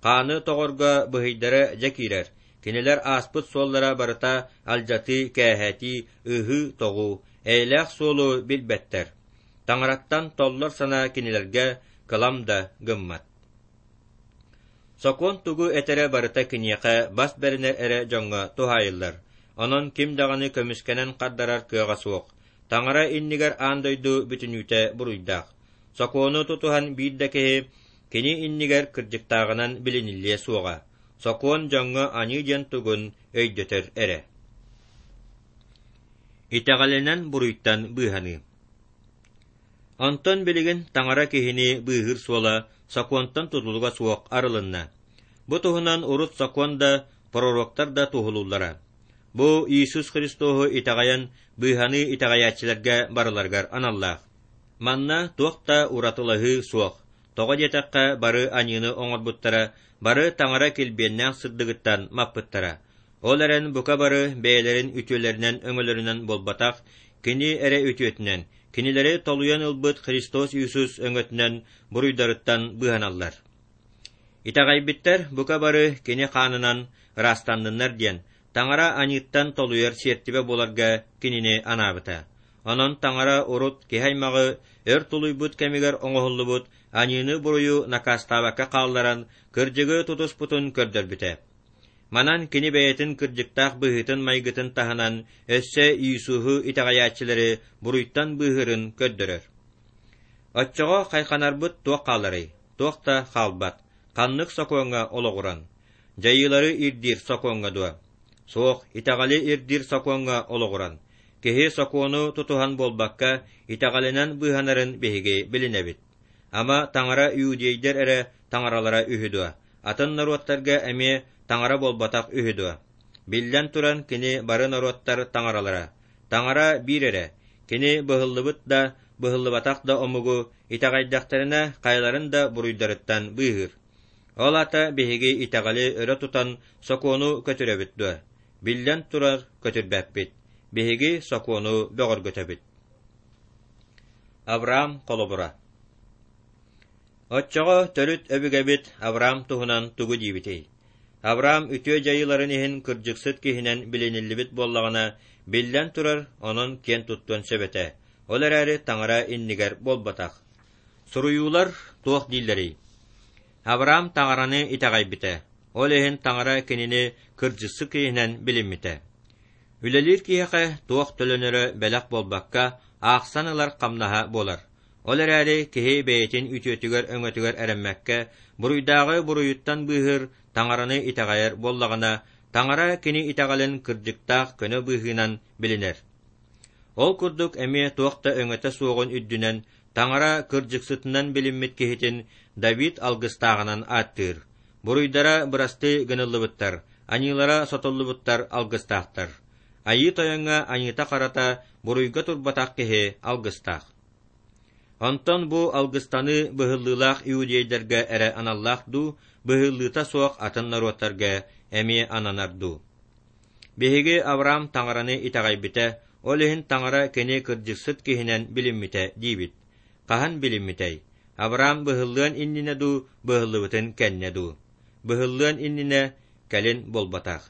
Хааны тоҕорго быһыйдара дьэ киирэр, кинилэр ааспыт суоллара барыта алдьатыы-кээһэтии, ыһыы-тоҕуу, эйэлээх суолу билбэттэр. Таҥараттан толлор санаа кинилэргэ кылам да гыммат. Сокуон тугу этэрэ барыта киниэхэ бас бэринэр эрэ дьоҥҥо туһаайыллар, онон ким даҕаны көмүскэнэн хардарар кыаҕа суох. Таҥара иннигэр аан дойду бүтүннүүтэ буруйдаах. Сокуону тутуһан биир да киһи кини иннигэр кырдьыктааҕынан билиниллиэ суоҕа. Сокуон дьоҥҥо аньыы диэн тугун өйдөтөр эрэ. Итэҕэлинэн буруйтан быыһаныы. Онтон билигин таҥара киһини быыһыыр суола сокуонтан тутулуга суох арылынна. Бу туһунан урут сокуон да, пророктар да туоһулууллара. Бу Иисус Христоһу итэҕэйэн быыһаныы итэҕэйээччилэргэ барыларыгар аналлаах. Манна туох да уратылаһыы суох. Тоҕо диэтэххэ, бары аньыыны оҥорбуттара, бары таҥара килбиэннээх сырдыгыттан маппыттара. Ол эрэн бука бары бэйэлэрин үтүөлэринэн-өҥөлөрүнэн буолбатах, Кини эрэ үтүөтүнэн, кинилэри толуйан ылбыт Христос Иисус өҥөтүнэн буруйдарыттан быыһаналлар. Итэҕэйбиттэр бука бары Кини хаанынан ыраастанныннар диэн, Таҥара аньыыттан толуйар сиэртибэ буоларга Кинини анаабыта. Онон Таҥара урут киһи аймаҕы өр тулуйбут кэмигэр оҥоһуллубут аньыыны-буруйу накаастаабакка хаалларан, кырдьыгы тутуспутун көрдөрбүтэ. Манан кини бэйэтин кырдьыктаах быһыытын-майгытын таһынан өссө Иисуһу итэҕэйээччилэри буруйтан быыһыырын көрдөрөр. Оччоҕо хайханарбыт туох хааларый? Туох да хаалбат. Ханнык сокуоҥҥа олоҕуран? Дьайыылары ирдиир сокуоҥҥа дуо? Суох, итэҕэли ирдиир сокуоҥҥа олоҕуран. Киһи сокуону тутуһан буолбакка, итэҕэлинэн быыһанарын биһиги билинэбит. Ама таҥара иудейдэр эрэ таҥаралара үһү дуо? Атын норуоттарга эмиэ таҥара буолбатах үһү дуо? Биллэн туран, кини бары норуоттар таҥаралара. Таҥара биир эрэ. Кини быһыллыбыт да, быһыллыбатах да омугу итэҕэйдэхтэринэ хайаларын да буруйдарыттан быыһыыр. Ол аата биһиги итэҕэли өрө тутан сокуону көтүрэбит дуо? Биллэн турар, көтүрбэппит. Биһиги сокуону бөҕөргөтөбүт. Авраам холобура Оччоҕо төрүт өбүгэбит Авраам туһунан тугу диибитий? Авраам үтүө дьайыыларын иһин кырдьыксыт киһинэн билиниллибит буоллаҕына, биллэн турар, онон киэн туттуон сөп этэ. Ол эрээри Таҥара иннигэр буолбатах. Суруйуулар туох дииллэрий? Авраам Таҥараны итэҕэйбитэ, ол иһин Таҥара кинини кырдьыксыт киһинэн билиммитэ. Үлэлиир киһиэхэ туох төлөнөрө бэлэх буолбакка, аахсан ылар хамнаһа буолар. Ол эрээри киһи бэйэтин үтүөтүгэр-өҥөтүгэр эрэммэккэ, буруйдааҕы буруйуттан быыһыыр Таҥараны итэҕэйэр буоллаҕына, Таҥара кини итэҕэлин кырдьыктаах көнө быыһыынан билинэр. Ол курдук эмиэ туох да өҥөтө суоҕун үрдүнэн Таҥара кырдьыксытынан билиммит киһитин Давид алгыстааҕынан ааттыыр. Буруйдара бырастыы гыныллыбыттар, аньыылара сотуллубуттар алгыстаахтар. Айыы Тойоҥҥо аньыыта-харата буруйга турбатах киһи алгыстаах. Онтон бу алгыстаныы быһыллыылаах иудейдарга эрэ аналлаах дуу, быһыллыыта суох атын норуоттарга эмиэ ананар дуу? Биһиги Авраам Таҥараны итэҕэйбитэ, ол иһин Таҥара кини кырдьыксыт киһинэн билиммитэ диибит. Хаһан билиммитэй? Авраам быһыллыан иннинэ дуу, быһыллыбытын кэннэ дуу? Быһыллыан иннинэ, кэлин буолбатах.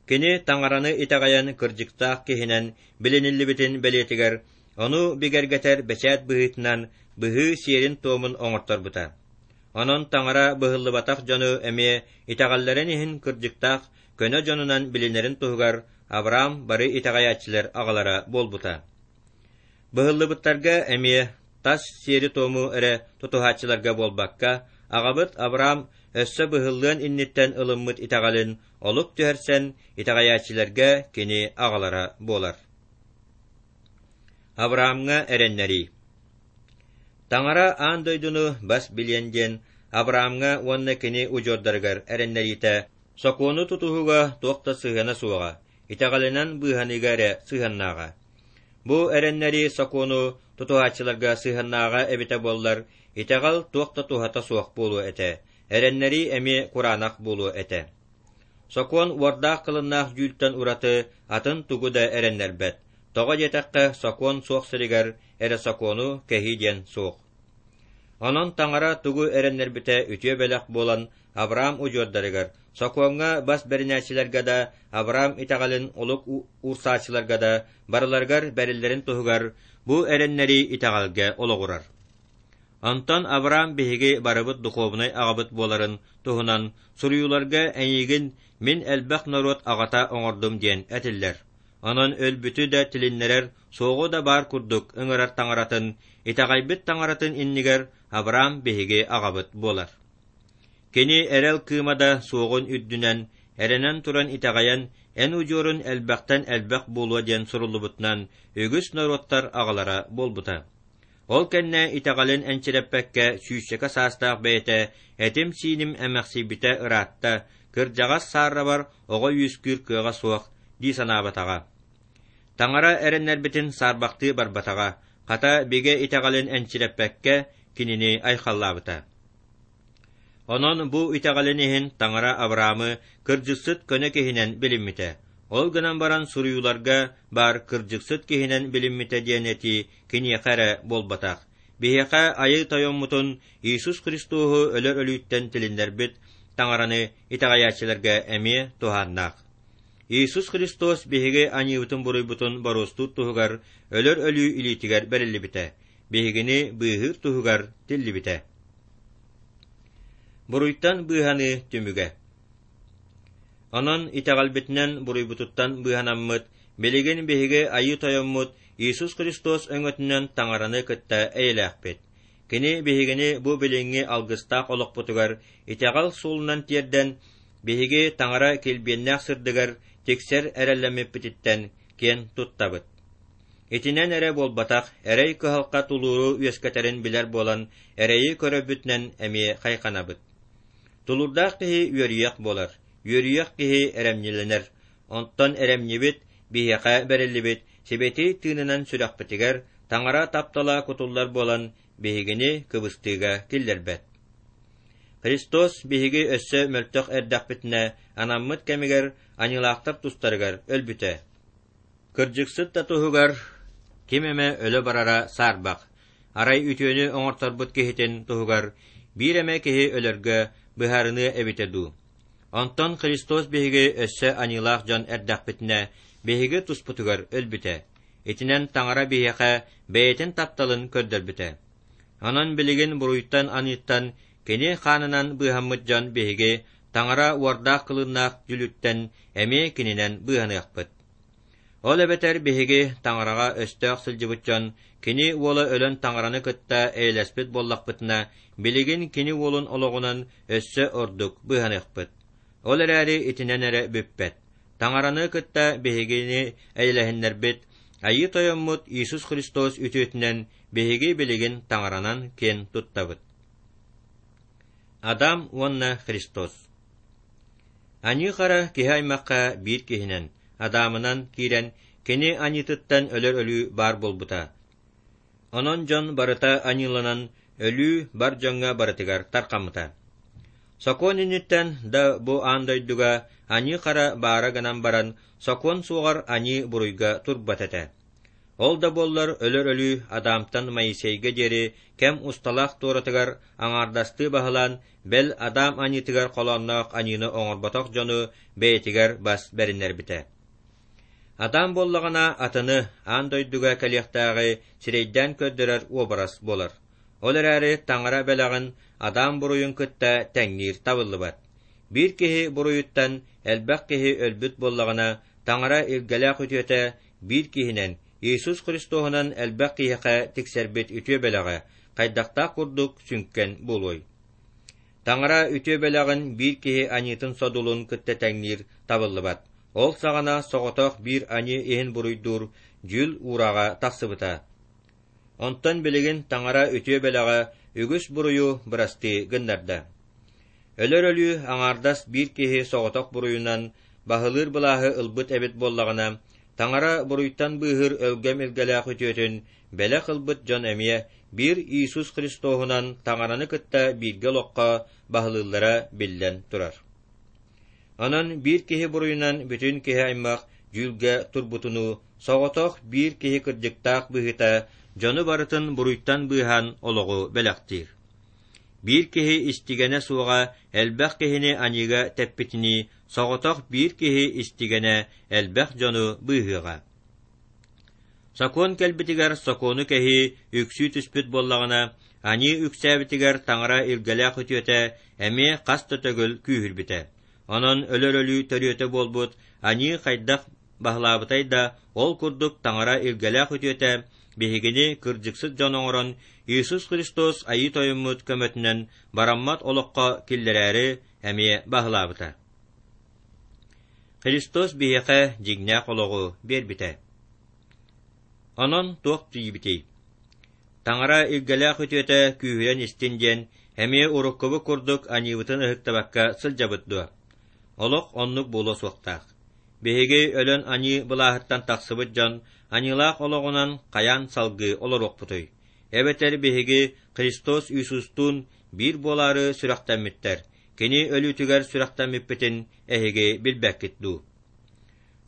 Кини Таҥараны итэҕэйэн кырдьыктаах киһинэн билиниллибитин бэлиэтигэр, ону бигэргэтэр бэчээт быһыытынан быһыы сиэрин-туомун оҥорторбута. Онон Таҥара быһыллыбатах дьону эмиэ итэҕэллэрин иһин кырдьыктаах көнө дьонунан билинэрин туһугар Авраам бары итэҕэйээччилэр аҕалара буолбута. Быһыллыбыттарга эмиэ тас сиэри-туому эрэ тутуһааччыларга буолбакка, аҕабыт Авраам өссө быһыллыан инниттэн ылыммыт итэҕэлин олук түһэрсэн итэҕэйээччилэргэ кини аҕалара буолар. Авраамҥа эрэннэрии Таҥара аан дойдуну бас билиэн диэн Авраамҥа уонна кини удьуордарыгар эрэннэриитэ сокуону тутуһууга туох да сыһыана суоҕа, итэҕэлинэн быыһаныыга эрэ сыһыаннааҕа. Бу эрэннэрии сокуону тутуһааччыларга сыһыаннааҕа эбитэ буоллар, итэҕэл туох да туһата суох буолуо этэ, эрэннэрии эмиэ кураанах буолуо этэ. Сокуон уордаах-кылыннаах дьүүлтэн ураты атын тугу да эрэннэрбэт. Тоҕо диэтэххэ, сокуон суох сиригэр эрэ сокуону кэһии диэн суох. Онон Таҥара тугу эрэннэрбитэ үтүө бэлэх буолан Авраам удьуордарыгар, сокуоҥҥа бас бэринээччилэргэ да, Авраам итэҕэлин олук уурсааччыларга да барыларыгар бэриллэрин туһугар бу эрэннэрии итэҕэлгэ олоҕурар. Онтон Авраам биһиги барыбыт духуобунай аҕабыт буоларын туһунан суруйууларга эйигин мин элбэх норуот аҕата оҥордум диэн этиллэр. Онон өлбүтү да тилиннэрэр, суоҕу да баар курдук ыҥырар таҥаратын, итэҕэйбит таҥаратын иннигэр Авраам биһиги аҕабыт буолар. Кини эрэл кыыма да суоҕун үрдүнэн, эрэнэн туран итэҕэйэн, эн удьуорун элбэхтэн элбэх буолуо диэн суруллубутунан үгүс норуоттар аҕалара буолбута. Ол кэннэ итэҕэлин энчирэппэккэ сүүсчэкэ саастаах бэйэтэ этим-сииним эмэхсийбитэ ыраатта, кырдьаҕас сааррабар оҕо үөскүүр кыаҕа суох дии санаабатаҕа. Таҥара эрэннэрбитин саарбахтыы барбатаҕа, хата бигэ итэҕэлин энчирэппэккэ кинини айхаллаабыта. Онон бу итэҕэлин иһин Таҥара Авраамы кырдьыксыт көнө киһинэн билиммитэ. Ол гынан баран суруйууларга баар кырдьыксыт киһинэн билиммитэ диэн этии киниэхэ эрэ буолбатах. Биһиэхэ Айыы Тойоммутун Иисус Христоһу өлөр өлүүттэн тилиннэрбит Таҥараны итэҕэйээччилэргэ эмиэ туһааннаах. Иисус Христос биһиги аньыыбытын-буруйбутун боруостуур туһугар өлөр өлүү илиитигэр бэриллибитэ, биһигини быыһыыр туһугар тиллибитэ. Буруйтан быыһаныы түмүгэ Онон итэҕэлбитинэн буруйбутуттан быыһанаммыт, билигин биһиги Айыы Тойоммут Иисус Христос өҥөтүнэн Таҥараны кытта эйэлээхпит. Кини биһигини бу билиҥҥи алгыстаах олохпутугар итэҕэл суолунан тиэрдэн, биһиги Таҥара килбиэннээх сырдыгар тиксэр эрэллэммиппититтэн киэн туттабыт. Итинэн эрэ буолбатах, эрэй кыһалҕа тулууру үөскэтэрин билэр буолан, эрэйи көрөрбүтүнэн эмиэ хайҕанабыт. Тулуурдаах киһи үөрүйэх буолар, үөрүйэх киһи эрэмньилэнэр, онтон эрэмньибит биһиэхэ бэриллибит сибэтиэй тыынынан сүрэхпитигэр Таҥара таптала кутуллар буолан, биһигини кыбыстыыга киллэрбэт. Христос биһиги өссө мөлтөх эрдэхпитинэ анаммыт кэмигэр аньыылаахтар тустарыгар өлбүтэ. Кырдьыксыт да туһугар ким эмэ өлө барара саарбах, арай үтүөнү оҥорторбут киһитин туһугар биир эмэ киһи өлөргө быһаарыныа эбитэ дуу. Онтон Христос биһиги өссө аньыылаах дьон эрдэхпитинэ биһиги туспутугар өлбүтэ. Итинэн Таҥара биһиэхэ бэйэтин тапталын көрдөрбүтэ. Онон билигин буруйтан-аныыттан Кини хаанынан быыһаммыт дьон биһиги Таҥара уордаах-кылыыннаах дьүлүттэн эмиэ кининэн быыһаныахпыт. Ол эбэтэр биһиги Таҥараҕа өстөөх сылдьыбыт дьон Кини Уола өлөн Таҥараны кытта эйэлэспит буоллахпытына, билигин Кини Уолун олоҕунан өссө ордук быыһаныахпыт. Ол эрээри итинэн эрэ бүппэт. Таҥараны кытта биһигини эйэлэһиннэрбит Айыы Тойоммут Иисус Христос үтүөтүнэн биһиги билигин Таҥаранан киэн туттабыт. Адам уонна Христос Аньыы-хара киһи аймахха биир киһинэн, Адамынан киирэн, кини аньыытыттан өлөр өлүү баар буолбута. Онон дьон барыта аньыыланан, өлүү бар дьоҥҥо барытыгар тархаммыта. Сокуон инниттэн да бу аан дойдуга аньыы-хара баара гынан баран, сокуон суоҕар аньыы буруйга турбат этэ. Ол да буоллар өлөр өлүү Адамтан Моисейга диэри кэм усталаах туоратыгар аҥаардастыы баһылаан, бэл Адам аньыытыгар холоонноох аньыыны оҥорботох дьону бэйэтигэр бас бэриннэрбитэ. Адам буоллаҕына атыны, аан дойдуга кэлиэхтээҕи сирэйдээн көрдөрөр уобарас буолар. Ол эрээри Таҥара бэлэҕин Адам буруйун кытта тэҥниир табыллыбат. Биир киһи буруйуттан элбэх киһи өлбүт буоллаҕына, Таҥара илгэлээх үтүөтэ биир киһинэн, Иисус Христоһунан элбэх киһиэхэ тиксэрбит үтүө бэлэҕэ хайдахтаах курдук сүҥкэн буолуой? Таҥара үтүө бэлэҕин биир киһи аньыытын содулун кытта тэҥниир табыллыбат. Ол саҕана соҕотох биир аньыы иһин буруйдуур дьүүл уурааҕа тахсыбыта. Онтон билигин Таҥара үтүө бэлэҕэ үгүс буруйу бырастыы гыннарда. Өлөр өлүү аҥаардас биир киһи соҕотох буруйунан баһылыыр былааһы ылбыт эбит буоллаҕына, Таҥара буруйтан быыһыыр өлгөм илгэлээх үтүөтүн бэлэх ылбыт дьон эмиэ биир Иисус Христоһунан Таҥараны кытта бииргэ олоххо баһылыыллара биллэн турар. Онон биир киһи буруйунан бүтүн киһи аймах дьүүлгэ турбутунуу соҕотох биир киһи кырдьыктаах быһыыта дьону барытын буруйтан быыһаан олоҕу бэлэхтиир. Биир киһи истигэнэ суоҕа элбэх киһини аньыыга тэппитинии соҕотох биир киһи истигэнэ элбэх дьону быыһыаҕа. Сокуон кэлбитигэр сокуону кэһии үксүү түспүт буоллаҕына, аньыы үксээбитигэр таҥара илгэлээх үтүөтэ эмиэ хас да төгүл күүһүрбүтэ. Онон өлөр өлүү төрүөтэ буолбут аньыы хайдах баһылаабытай да, ол курдук таҥара илгэлээх үтүөтэ биһигини кырдьыксыт дьон оҥорон, Иисус Христос Айыы Тойоммут көмөтүнэн бараммат олоххо киллэрээри эмиэ баһылаабыта. Христос биһиэхэ дьиҥнээх олоҕу биэрбитэ. Онон туох тиийбитий? Таҥара илгэлээх үтүөтэ күүһүрэн истин диэн, эмиэ уруккубут курдук аньыыбытын ыһыктыбакка сылдьабыт дуо? Олох оннук буолуо суохтаах. Биһиги өлөн аньыы былааһыттан тахсыбыт дьон аньыылаах олоҕунан хайаан салгыы олоруохпутуй? Эбэтэр биһиги Христос Иисустуун биир буолаары сүрэхтэммиттэр, Кини өлүүтүгэр сүрэхтэммиппитин эһиги билбэккит дуу?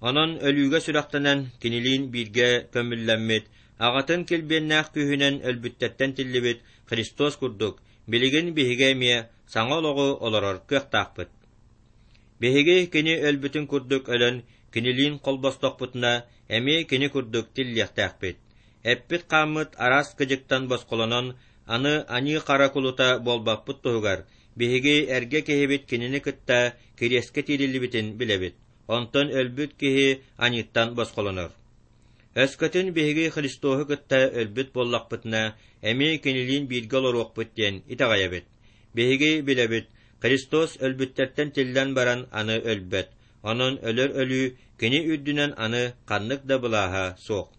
Онон өлүүгэ сүрэхтэнэн кинилиин бииргэ көмүллэммит, аҕатын килбиэннээх күүһүнэн өлбүттэртэн тиллибит Христос курдук, билигин биһиги эмиэ саҥа олоҕу олорор кыахтаахпыт. Биһиги кини өлбүтүн курдук өлөн, кинилиин холбостохпутуна, эмиэ кини курдук тиллиэхтээхпит. Эппит-хааммыт араас кыдьыктан босхолонон, аны аньыы-хара кулута буолбаппыт туһугар, биһиги эргэ киһибит кинини кытта кириэскэ тиириллибитин билэбит, онтон өлбүт киһи аньыыттан босхолонор. Өскөтүн биһиги Христоһу кытта өлбүт буоллахпытына, эмиэ кинилиин бииргэ олоруохпут диэн итэҕэйэбит. Биһиги билэбит, Христос өлбүттэртэн тиллэн баран аны өлбөт, онон өлөр өлүү кини үрдүнэн аны ханнык да былааһа суох.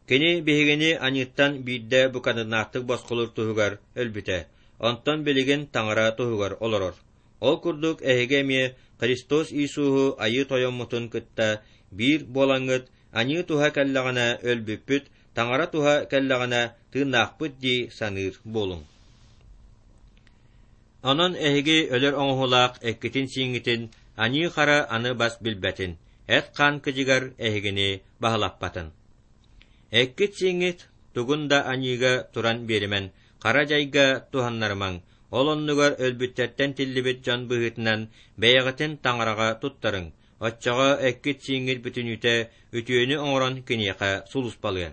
Кини биһигини аньыыттан биирдэ букатыннаахтык босхолуур туһугар өлбүтэ, онтон билигин Таҥара туһугар олорор. Ол курдук эһиги эмиэ Христос Иисуһу Айыы Тойоммутун кытта биир буолаҥҥыт аньыы туһа кэллэҕинэ өлбүппүт, Таҥара туһа кэллэҕинэ тыыннаахпыт дии саныыр буолуҥ. Онон эһиги өлөр оҥоһуулаах эккитин-сииҥҥитин аньыы-хара аны бас билбэтин, эт-хаан кыдьыгар эһигини баһылаппатын. Эккит-сииҥҥит тугун да аньыыга туран биэримэн, хара дьайга туһаннарымаҥ, ол оннугар өлбүттэртэн тиллибит дьон быһыытынан бэйэҕитин таҥараҕа туттарыҥ, оччоҕо эккит-сииҥҥит бүтүннүүтэ үтүөнү оҥорон киниэхэ сулууспалыа.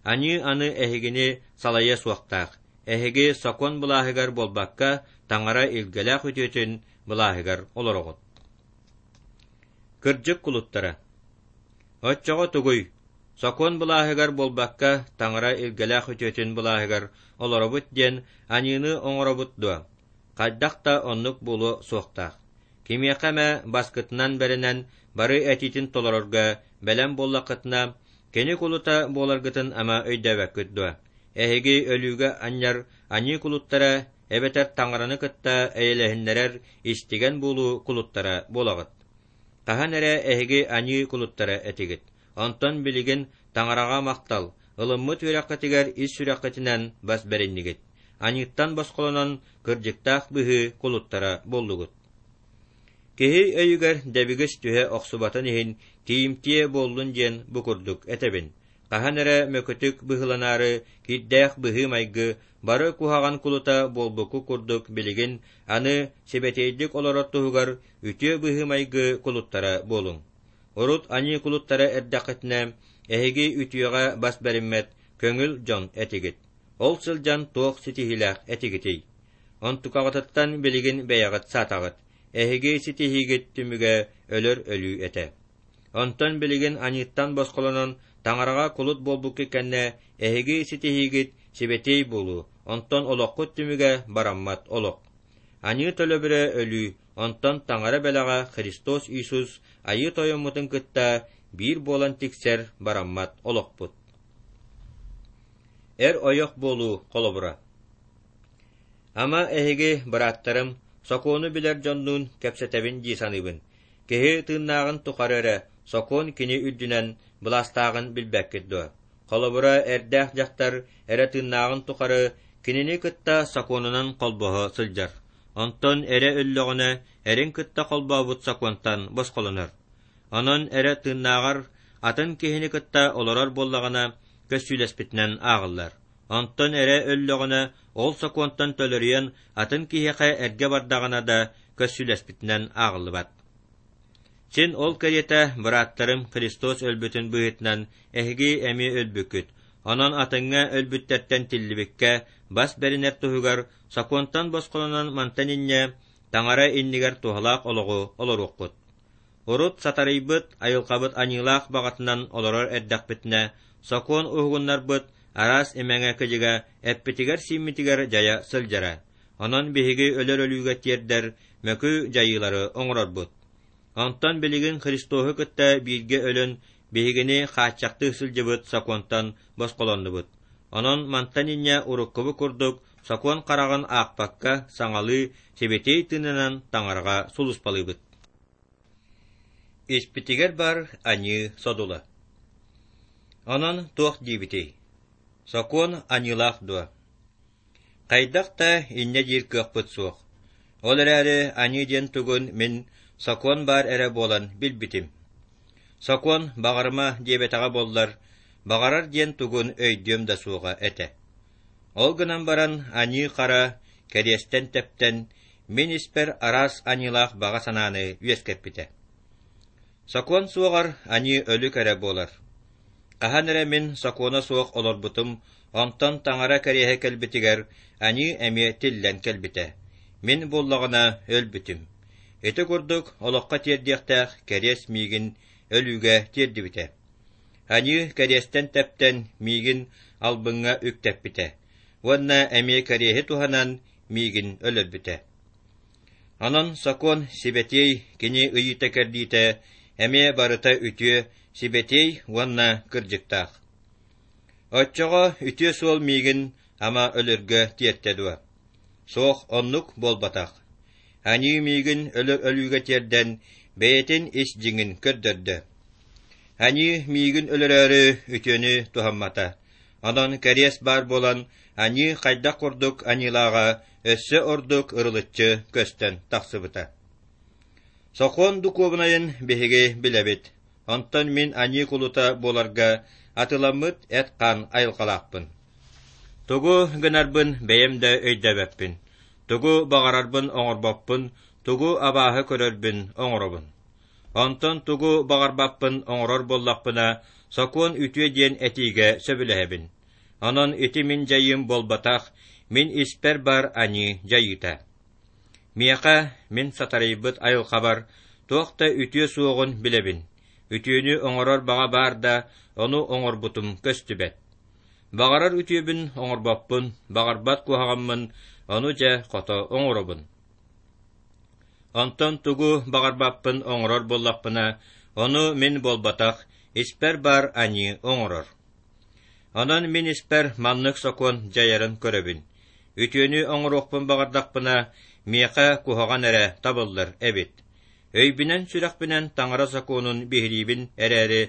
Аньыы аны эһигини салайыа суохтаах, эһиги сокуон былааһыгар буолбакка, таҥара илгэлээх үтүөтүн былааһыгар олороҕут. Кырдьык кулуттара Оччоҕо тугуй, сокуон былааһыгар буолбакка, таҥара илгэлээх үтүөтүн былааһыгар олоробут диэн аньыыны оҥоробут дуо? Хайдах да оннук буолуо суохтаах. Кимиэхэ эмэ баскытынан бэринэн бары этиитин толорорго бэлэм буоллаххытына, кини кулута буоларгытын ама өйдөөбөккүт дуо? Эһиги өлүүгэ анньар аньыы кулуттара эбэтэр таҥараны кытта эйэлэһиннэрэр истигэн буолуу кулуттара буолаҕыт. Хаһан эрэ эһиги аньыы кулуттара этигит, онтон билигин Таҥараҕа махтал, ылыммыт үөрэххитигэр ис сүрэххитинэн бас бэриннигит, аньыыттан босхолонон кырдьыктаах быһыы кулуттара буоллугут. Киһи өйүгэр дэбигис түһэ охсубатын иһин тиийимтиэ буоллун диэн бу курдук этэбин. Хаһан эрэ мөкүтүк быһыыланаары кирдээх быһыы-майгы бары куһаҕан кулута буолбукку курдук билигин аны сибэтиэйдик олорор туһугар үтүө быһыы-майгы кулуттара буолуҥ. Урут аньыы кулуттара эрдэххитинэ, эһиги үтүөҕэ бас бэриммэт көҥүл дьон этигит. Ол сылдьан туох ситиһиилээх этигитий? Онтукаҕытыттан билигин бэйэҕит саатаҕыт, эһиги ситиһиигит түмүгэ өлөр өлүү этэ. Онтон билигин аньыыттан босхолонон Таҥараҕа кулут буолбуккут кэннэ эһиги ситиһиигит сибэтиэй буолуу, онтон олоххут түмүгэ бараммат олох. Аньыы төлөбүрэ өлүү, онтон Таҥара бэлэҕэ Христос Иисус Айыы Тойоммутун кытта биир буолан тиксэр бараммат олохпут. Эр-ойох буолуу холобура Ама эһиги, бырааттарым, сокуону билэр дьоннуун кэпсэтэбин дии саныыбын. Киһи тыыннааҕын тухары эрэ сокуон кини үрдүнэн былаастааҕын билбэккит дуо? Холобура, эрдээх дьахтар эрэ тыыннааҕын тухары кинини кытта сокуонунан холбоһо сылдьар. Онтон эрэ өллөҕүнэ, эрин кытта холбообут сокуонтан босхолонор. Онон эрэ тыыннааҕар атын киһини кытта олорор буоллаҕына, көссүүлэспитинэн ааҕыллар. Онтон эрэ өллөҕүнэ, ол сокуонтан төлөрүйэн атын киһиэхэ эргэ бардаҕына да көссүүлэспитинэн ааҕыллыбат. Син ол кэриэтэ, бырааттарым, Христос өлбүтүн быһыытынан эһиги эмиэ өлбүккүт, онон атыҥҥа өлбүттэртэн тиллибиккэ бас бэринэр туһугар сокуонтан босхолонон мантан инньэ Таҥара иннигэр туһалаах олоҕу олоруоххут. Урут сатарыйбыт, айылҕабыт аньыылаах баҕатынан олорор эрдэхпитинэ, сокуон уһугуннарбыт араас имэҥэ-кыдьыга эппитигэр-сииммитигэр дьайа сылдьара. Онон биһиги өлөр өлүүгэ тиэрдэр мөкү дьайыылары оҥорорбут. Онтон билигин Христоһу кытта бииргэ өлөн биһигини хааччахтыы сылдьыбыт сокуонтан босхолоннубут. Онон мантан инньэ уруккубут курдук сокуон хараҕын аахпакка саҥалыы сибэтиэй тыынынан Таҥараҕа сулууспалыыбыт. Испитигэр баар аньыы содула. Онон туох диибитий? Сокуон аньыылаах дуо? Хайдах да инньэ диир кыахпыт суох. Ол эрээри аньыы диэн тугун мин сокуон баар эрэ буолан билбитим. Сокуон баҕарыма диэбэтэҕэ буоллар, баҕарар диэн тугун өйдүөм да суоҕа этэ. Ол гынан баран аньыы-хара кэриэстэн тэптэн, мин испэр араас аньыылаах баҕа санааны үөскэппитэ. Сокуон суоҕар аньыы өлүк эрэ буолар. Хаһан эрэ мин сокуона суох олорбутум, онтон таҥара кэриэһэ кэлбитигэр аньыы эмиэ тиллэн кэлбитэ. Мин буоллаҕына өлбүтүм. Ити курдук олоххо тиэрдиэхтээх кэриэс миигин өлүүгэ тиэрдибитэ. Аньыы кэриэстэн тэптэн миигин албыҥҥа үктэппитэ уонна эмиэ кэриэһи туһанан миигин өлөрбүтэ. Онон сокуон сибэтиэй кини ыйыыта-кэрдиитэ эмиэ барыта үтүө, сибэтиэй уонна кырдьыктаах. Оччоҕо үтүө суол миигин ама өлөргө тиэртэ дуо? Суох, оннук буолбатах. Аньыы миигин өлөр өлүүгэ тиэрдэн, бэйэтин ис дьиҥин көрдөрдө. Аньыы миигин өлөрөөрү үтүөнү туһаммата. Онон кэриэс баар буолан, аньыы хайдах курдук аньыылааҕа өссө ордук ырылыччы көстөн тахсыбыта. Сокуон духуобунайын биһиги билэбит. Онтон мин аньыы кулута буоларга атыламмыт эт-хаан айылҕалаахпын. Тугу гынарбын бэйэм да өйдөөбөппүн. Тугу баҕарарбын оҥорбоппун, тугу абааһы көрөрбүн оҥоробун. Онтон тугу баҕарбаппын оҥорор буоллахпына, сокуон үтүө диэн этиигэ сөбүлэһэбин. Онон ити мин дьайыым буолбатах, мин испэр баар аньыы дьайыыта. Миэхэ, мин сатарыйбыт айылҕабар, туох да үтүө суоҕун билэбин. Үтүөнү оҥорор баҕа баар да, ону оҥорбутум көстүбэт. Баҕарар үтүөбүн оҥорбоппун, баҕарбат куһаҕаммын, ону дьэ хото оҥоробун. Онтон тугу баҕарбаппын оҥорор буоллахпына, ону мин буолбатах, испэр баар аньыы оҥорор. Онон мин испэр маннык сокуон дьайарын көрөбүн. Үтүөнү оҥоруохпун баҕардахпына, миэхэ куһаҕан эрэ табыллар эбит. Өйбүнэн-сүрэхпинэн таҥара сокуонун биһириибин эрээри,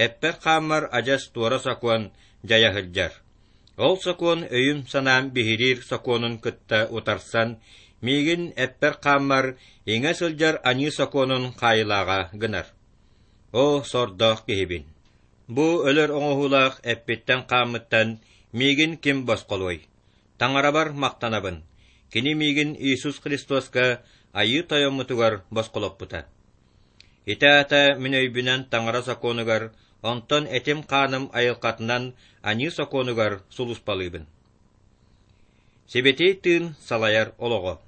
эппэр-хааммар адьас туора сокуон дьайа сылдьар. Ол сокуон өйүм-санаам биһириир сокуонун кытта утарсан, миигин эппэр-хааммар иҥэ сылдьар аньыы сокуонун хаайылааҕа гынар. Оо, сордоох киһибин! Бу өлөр оҥоһуулаах эппиттэн-хааммыттан миигин ким босхолуой? Таҥарабар махтанабын, кини миигин Иисус Христоска Айыы Тойоммутугар босхолоппута. Ити аата мин өйбүнэн Таҥара сокуонугар, онтон этим-хааным айылҕатынан аньыы сокуонугар сулууспалыыбын. Сибэтиэй тыын салайар олоҕо.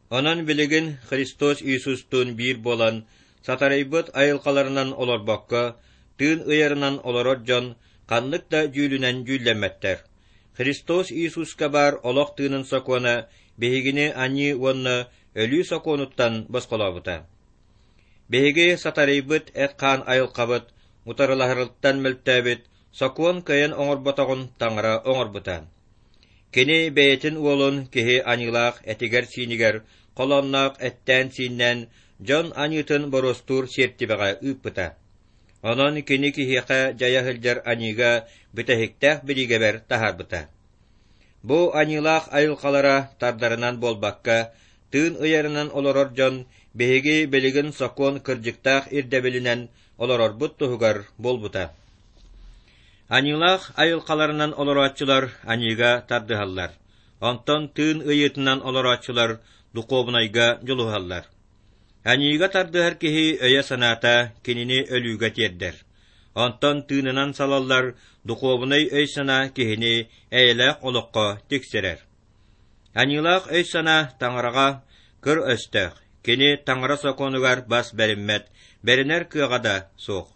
Онон билигин Христос Иисустуун биир буолан, сатарыйбыт айылҕаларынан олорбокко, тыын ыйарынан олорор дьон ханнык да дьүүлүнэн дьүүллэммэттэр. Христос Иисуска баар олох тыынын сокуона биһигини аньыы уонна өлүү сокуонуттан босхолообута. Биһиги сатарыйбыт эт-хаан айылҕабыт утарылаһарыттан мөлтөөбүт сокуон кыайан оҥорботоҕун Таҥара оҥорбута. Кини бэйэтин уолун киһи аньыылаах этигэр-сиинигэр холоонноох эттээн-сииннээн дьон аньыытын боруостуур сиэртибэҕэ ыыппыта. Онон кини киһиэхэ дьайа сылдьар аньыыга бүтэһиктээх бириигэбэр таһаарбыта. Бу аньыылаах айылҕалара тардарынан буолбакка, тыын ыйарынан олорор дьон биһиги билигин сокуон кырдьыктаах ирдэбилинэн олорорбут туһугар буолбута. Аньыылаах айылҕаларынан олорооччулар аньыыга тардыһаллар, онтон тыын ыйыытынан олорооччулар духуобунайга дьулуһаллар. Аньыыга тардыһар киһи өйө-санаата кинини өлүүгэ тиэрдэр. Онтон тыынынан салаллар духуобунай өй-санаа киһини эйэлээх олоххо тиксэрэр. Аньыылаах өй-санаа Таҥараҕа кыр өстөөх, кини Таҥара сокуонугар бас бэриммэт, бэринэр кыаҕа да суох.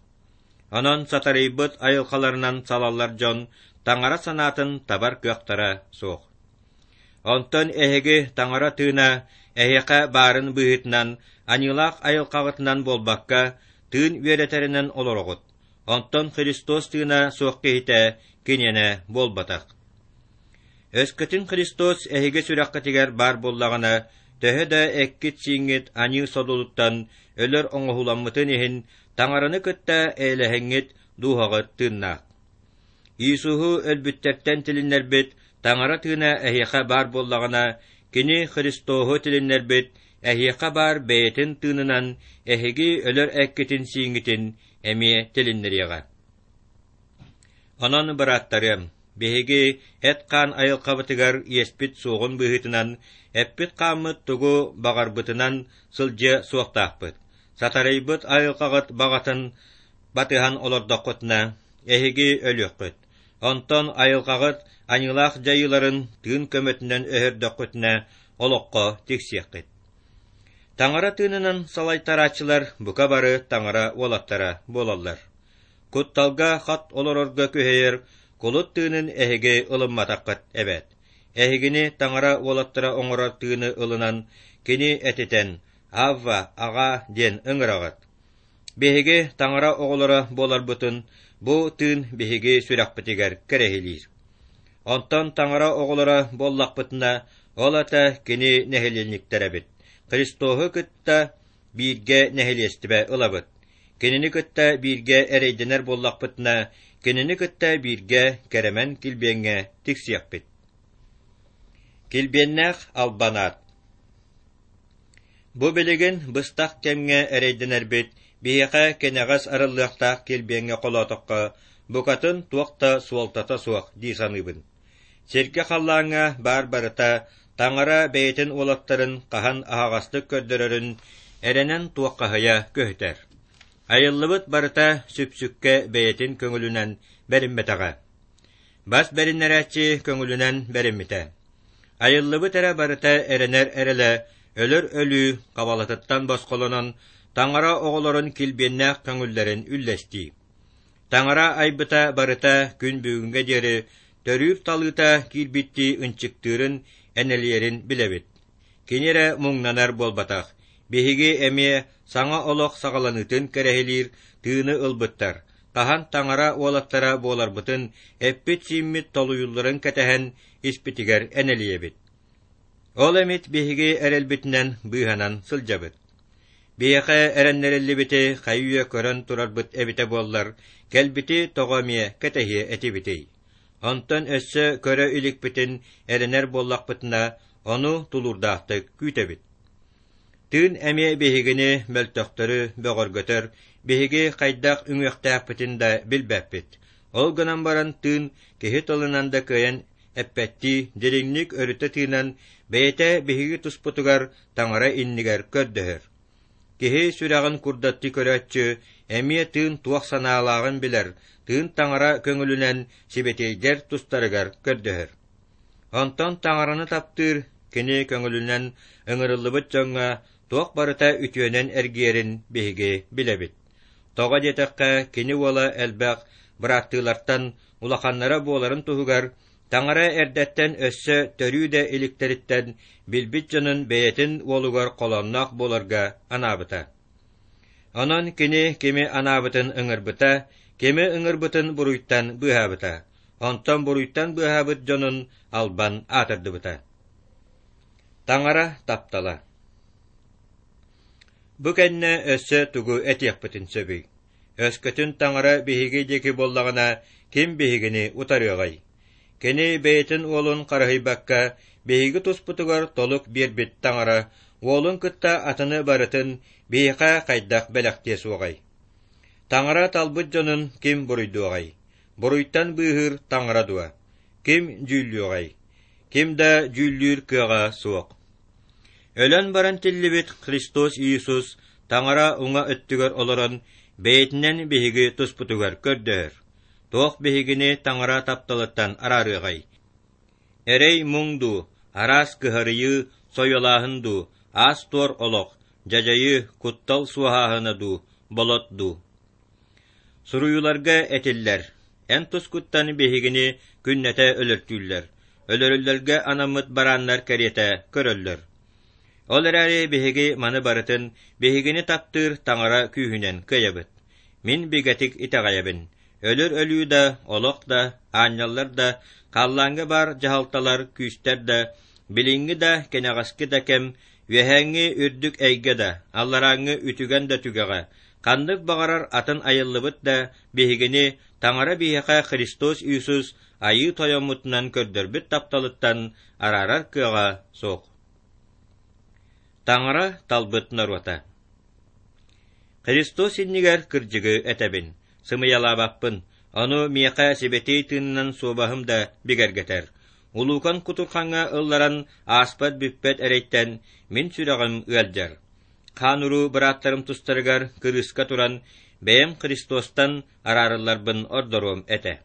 Онон сатарыйбыт айылҕаларынан салаллар дьон Таҥара санаатын табар кыахтара суох. Онтон эһиги Таҥара тыына эһиэхэ баарын быһыытынан, аньыылаах айылҕаҕытынан буолбакка, тыын үөрэтэринэн олороҕут. Онтон Христос тыына суох киһитэ киниэнэ буолбатах. Өскөтүн Христос эһиги сүрэххитигэр баар буоллаҕына, төһө да эккит-сииҥҥит аньыы содулуттан өлөр оҥоһууламмытын иһин, Таҥараны кытта эйэлэһэҥҥит дууһаҕыт тыыннаах. Иисуһу өлбүттэртэн тилиннэрбит Таҥара тыына эһиэхэ баар буоллаҕына, Кини Христоһу тилиннэрбит эһиэхэ баар бэйэтин тыынынан эһиги өлөр эккитин-сииҥҥитин эмиэ тилиннэриэҕэ. Онон, бырааттарыам, биһиги эт-хаан айылҕабытыгар иэспит суоҕун быһыытынан, эппит-хааммыт тугу баҕарбытынан сылдьыа суохтаахпыт. Сатарыйбыт айылҕаҕыт баҕатын батыһан олордоххутуна, эһиги өлүөххүт. Онтон айылҕаҕыт аньыылаах дьайыыларын тыын көмөтүнэн өһөрдөххүтүнэ, олоххо тиксиэххит. Таҥара тыынынан салайтарааччылар бука бары таҥара уолаттара буолаллар. Кутталга хат олорорго күһэйэр кулут тыынын эһиги ылымматаххыт эбээт. Эһигини таҥара уолаттара оҥорор тыыны ылынан, кини этитэн, «Авва, аҕаа» диэн ыҥыраҕыт. Биһиги таҥара оҕолоро буоларбытын бу тыын биһиги сүрэхпитигэр кэрэһилиир. Онтон таҥара оҕолоро буоллахпытына, ол ата кини нэһилиэнньиктэрэбит, Христоһу кытта бииргэ нэһилиэстибэ ылабыт. Кинини кытта бииргэ эрэйдэнэр буоллахпытына, кинини кытта бииргэ кэрэмэн килбиэҥҥэ тиксиэхпит. Килбиэннээх албан аат Бу билигин быстах кэмҥэ эрэйдэнэрбит биһиэхэ кэнэҕэс арыллыахтаах килбиэҥҥэ холоотоххо, букатын туох да суолтата суох дии саныыбын. Сиргэ-халлааҥҥа баар барыта Таҥара бэйэтин уолаттарын хаһан аһаҕастык көрдөрөрүн эрэнэн туоххаһыйа көһүтэр. Айыллыбыт барыта сүпсүккэ бэйэтин көҥүлүнэн бэриммэтэҕэ. Бас бэриннэрээччи көҥүлүнэн бэриммитэ. Айыллыбыт эрэ барыта эрэнэр эрэлэ өлөр өлүү хабалатыттан босхолонон, Таҥара оҕолорун килбиэннээх көҥүллэрин үллэстии. Таҥара айбыта барыта күн бүгүҥҥэ диэри төрүүр талыыта киирбиттии ынчыктыырын, энэлийэрин билэбит. Кини эрэ муҥнанар буолбатах, биһиги эмиэ саҥа олох саҕаланыытын кэрэһилиир тыыны ылбыттар, хаһан таҥара уолаттара буоларбытын эппит-сииммит толуйулларын кэтэһэн испитигэр энэлийэбит. Ол эмит биһиги эрэлбитинэн быыһанан сылдьабыт. Биһиэхэ эрэннэриллибити хайы-үйэ көрөн турарбыт эбитэ буоллар, кэлбити тоҕо эмиэ кэтэһиэ этибитий? Онтон өссө көрө иликпитин эрэнэр буоллахпытына, ону тулуурдаахтык күүтэбит. Тыын эмиэ биһигини мөлтөхтөрү бөҕөргөтөр, биһиги хайдах үҥүөхтээхпитин да билбэппит. Ол гынан баран тыын киһи тылынан да кыайан эппэттии дириҥник өрүтэ тыынан бэйэтэ биһиги туспутугар Таҥара иннигэр көрдөһөр. Киһи сүрэҕин курдаттыы көрөөччү эмиэ тыын туох санаалааҕын билэр, тыын Таҥара көҥүлүнэн сибэтиэйдэр тустарыгар көрдөһөр. Онтон Таҥараны таптыыр, кини көҥүлүнэн ыҥырыллыбыт дьоҥҥо туох барыта үтүөнэн эргийэрин биһиги билэбит. Тоҕо диэтэххэ, кини уола элбэх бырааттыылартан улаханнара буоларын туһугар Таҥара эрдэттэн өссө төрүү да иликтэриттэн билбит дьонун бэйэтин уолугар холоонноох буоларга анаабыта. Онон кини кими анаабытын ыҥырбыта, кими ыҥырбытын буруйтан быыһаабыта, онтон буруйтан быыһаабыт дьонун албан аатырдыбыта. Таҥара таптала. Бу кэннэ өссө тугу этиэхпитин сөбүй? Өскөтүн Таҥара биһиги диэки буоллаҕына, ким биһигини утарыаҕай? Кини бэйэтин уолун харыһыйбакка, биһиги туспутугар толук биэрбит Таҥара уолун кытта атыны барытын биһиэхэ хайдах бэлэхтиэ суоҕай? Таҥара талбыт дьонун ким буруйдуоҕай? Буруйтан быыһыыр Таҥара дуо? Ким дьүүллүөҕэй? Ким да дьүүллүүр кыаҕа суох. Өлөн баран тиллибит Христос Иисус Таҥара уҥа өттүгэр олорон, бэйэтинэн биһиги туспутугар көрдөһөр. Туох биһигини Таҥара тапталыттан араарыаҕай? Эрэй-муҥ дуу, араас кыһарыйыы, сойуолааһын дуу, аас-туор олох, дьадьайыы, куттал суоһааһына дуу, болот дуу? Суруйууларга этиллэр: «Эн тускуттан биһигини күннэтэ өлөртүүллэр, өлөрүллэргэ анаммыт барааннар кэриэтэ көрөллөр». Ол эрээри биһиги маны барытын биһигини таптыыр Таҥара күүһүнэн кыайабыт. Мин бигэтик итэҕэйэбин: өлөр өлүү да, олох да, аанньаллар да, халлааҥҥа баар дьаһалталар, күүстэр да, билиҥҥи да, кэнэҕэски да кэм, үөһээҥҥи үрдүк эйгэ да, алларааҥҥы үтүгэн да түгэҕэ, ханнык баҕарар атын айыллыбыт да биһигини Таҥара биһиэхэ Христос Иисус Айыы Тойоммутунан көрдөрбүт тапталыттан араарар кыаҕа суох. Таҥара талбыт норуота Христос иннигэр кырдьыгы этэбин, сымыйалаабаппын, ону миэхэ сибэтиэй тыынынан суобаһым да бигэргэтэр. Улуукан кутурхаҥҥа ылларан ааспат бүппэт эрэйтэн мин сүрэҕим ыалдьар. Хаан-уруу бырааттарым тустарыгар кырыыска туран, бэйэм Христостан араарылларбын ордоруом этэ.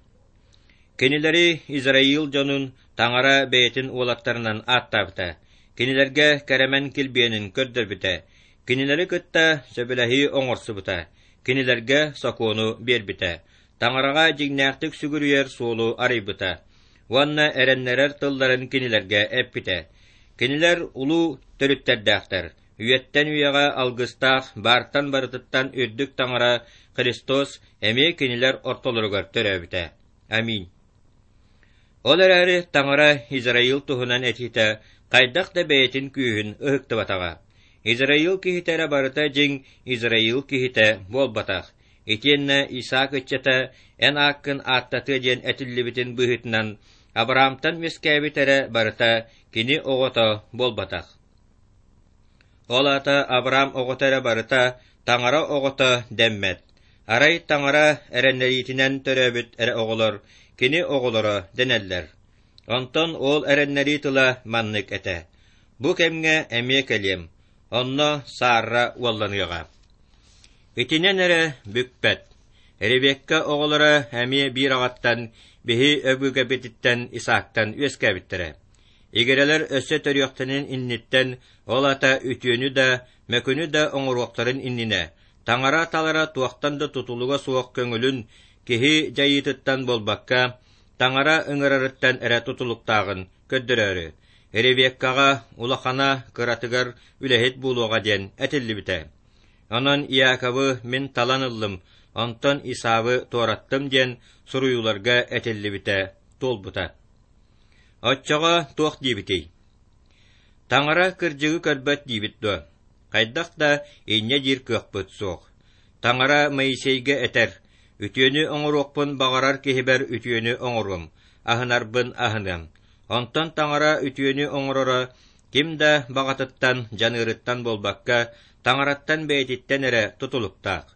Кинилэри Израил дьонун Таҥара бэйэтин уолаттарынан ааттаабыта, кинилэргэ кэрэмэн килбиэнин көрдөрбүтэ, кинилэри кытта сөбүлэһии оҥорсубута, кинилэргэ сокуону биэрбитэ, Таҥараҕа дьиҥнээхтик сүгүрүйэр суолу арыйбыта уонна эрэннэрэр тылларын кинилэргэ эппитэ. Кинилэр улуу төрүттэрдээхтэр, үйэттэн үйэҕэ алгыстаах баартан барытыттан үрдүк Таҥара Христос эмиэ кинилэр ортолоругар төрөөбүтэ. Аминь. Ол эрээри Таҥара Израил туһунан этиитэ хайдах да бэйэтин күүһүн ыһыктыбатаҕа. Израил киһитэ эрэ барыта дьиҥ Израил киһитэ буолбатах. Итиэннэ Исаак ыччата эн ааккын ааттатыа диэн этиллибитин быһыытынан Авраамтан үөскээбит эрэ барыта кини оҕото буолбатах. Ол аата Авраам оҕото эрэ барыта Таҥара оҕото дэммэт. Арай Таҥара эрэннэриитинэн төрөөбүт эрэ оҕолор кини оҕолоро дэнэллэр. Онтон ол эрэннэрии тыла маннык этэ: «Бу кэмҥэ эмиэ кэлиэм, онно Саарра уолланыаҕа». Итинэн эрэ бүкпэт. Ревекка оҕолоро эмиэ биир аҕаттан, биһи өбүгэбититтэн Исаактан үөскээбиттэрэ. Игирэлэр өссө төрүөхтэрин инниттэн, ол аата үтүөнү да, мөкүнү да оҥоруохтарын иннинэ, Таҥара талара туохтан да тутулуга суох көҥүлүн киһи дьайыытыттан буолбакка, Таҥара ыҥырарыттан эрэ тутулуктааҕын көрдөрөөрү, Ревеккаҕа улахана кыратыгар үлэһит буолуоҕа диэн этиллибитэ. Онон Иаковы мин талан ыллым, онтон Исавы туораттым диэн суруйууларга этиллибитэ туолбута. Оччоҕо туох диибитий? Таҥара кырдьыгы көрбөт диибит дуо? Хайдах да инньэ диир кыахпыт суох. Таҥара Моисейга этэр: «Үтүөнү оҥоруохпун баҕарар киһибэр үтүөнү оҥоруом, аһынарбын аһыныам». Онтон Таҥара үтүөнү оҥороро ким да баҕатыттан, дьаныарыттан буолбакка, Таҥараттан бэйэтиттэн эрэ тутулуктаах.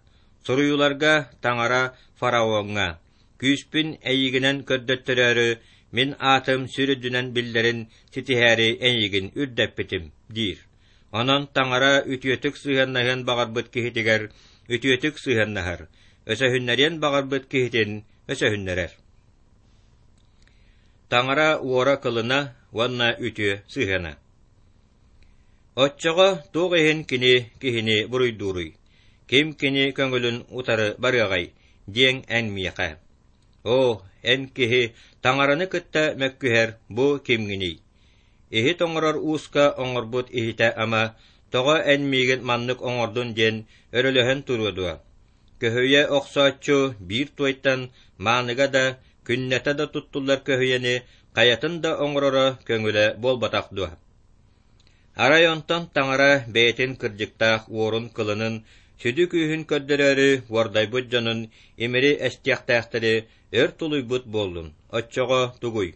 Суруйууларга Таҥара фараоҥҥа Күүспүн эйигинэн көрдөттөрөөрү, мин аатым сүр үрдүнэн биллэрин ситиһээри эйигин үрдэппитим, диир. Онон Таҥара үтүөтүк сыһыаннаһыан баҕарбыт киһитигэр үтүөтүк сыһыаннаһар, өсөһүннэриэн баҕарбыт киһитин өсөһүннэрэр. Таҥара уора-кылына уонна үтүө сыһыана. Оччоҕо туох иһин кини киһини буруйдууруй? Ким кини көҥүлүн утары барыаҕай диэҥ эн миэхэ. Оо, эн киһи таҥараны кытта мөккүһэр бу кимҥиний? Иһит оҥорор ууска оҥорбут иһитэ ама, тоҕо эн миигин маннык оҥордун диэн өрөлөһөн туруо дуо? Көһүйэ охсооччу биир туойтан мааныга да, күннэтэ да туттуллар көһүйэни хайатын да оҥороро көҥүлэ буолбатах дуо? Арай онтон Таҥара бэйэтин кырдьыктаах уорун-кылынын, сүдү күүһүн көрдөрөөрү уордайбыт дьонун имири эстиэхтээхтэри өр тулуйбут буоллун, оччоҕо тугуй?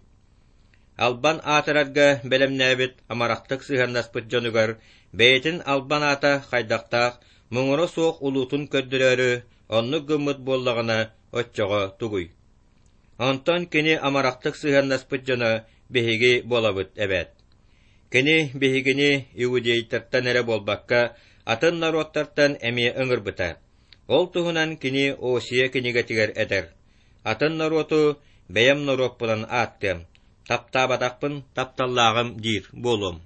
Албан аатырарга бэлэмнээбит амарахтык сыһыаннаспыт дьонугар бэйэтин албан аата хайдахтаах муҥура суох улуутун көрдөрөөрү оннук гыммыт буоллаҕына, оччоҕо тугуй? Онтон кини амарахтык сыһыаннаспыт дьоно биһиги буолабыт эбээт. Кини биһигини иудейтартан эрэ буолбакка, атын норуоттартан эмиэ ыҥырбыта. Ол туһунан кини Осия кинигэтигэр этэр: «Атын норуоту бэйэм норуоппунан ааттыам, таптаабатахпын тапталлааҕым диир буолуом.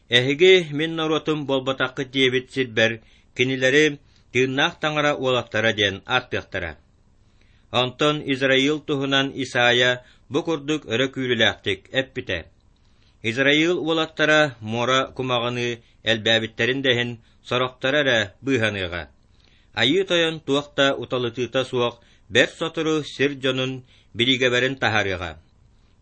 Эһиги мин норуотум буолбатаххыт диэбит сирбэр кинилэри тыыннаах таҥара уолаттара диэн ааттыахтара». Онтон Израил туһунан Исайя бу курдук өрө күүрүүлээхтик эппитэ: «Израил уолаттара муора кумаҕыныы элбээбиттэрин да иһин сорохторо эрэ быыһаныаҕа. Айыы Тойон туох да уталытыыта суох бэрт сотору сир дьонун бириигэбэрин таһаарыаҕа.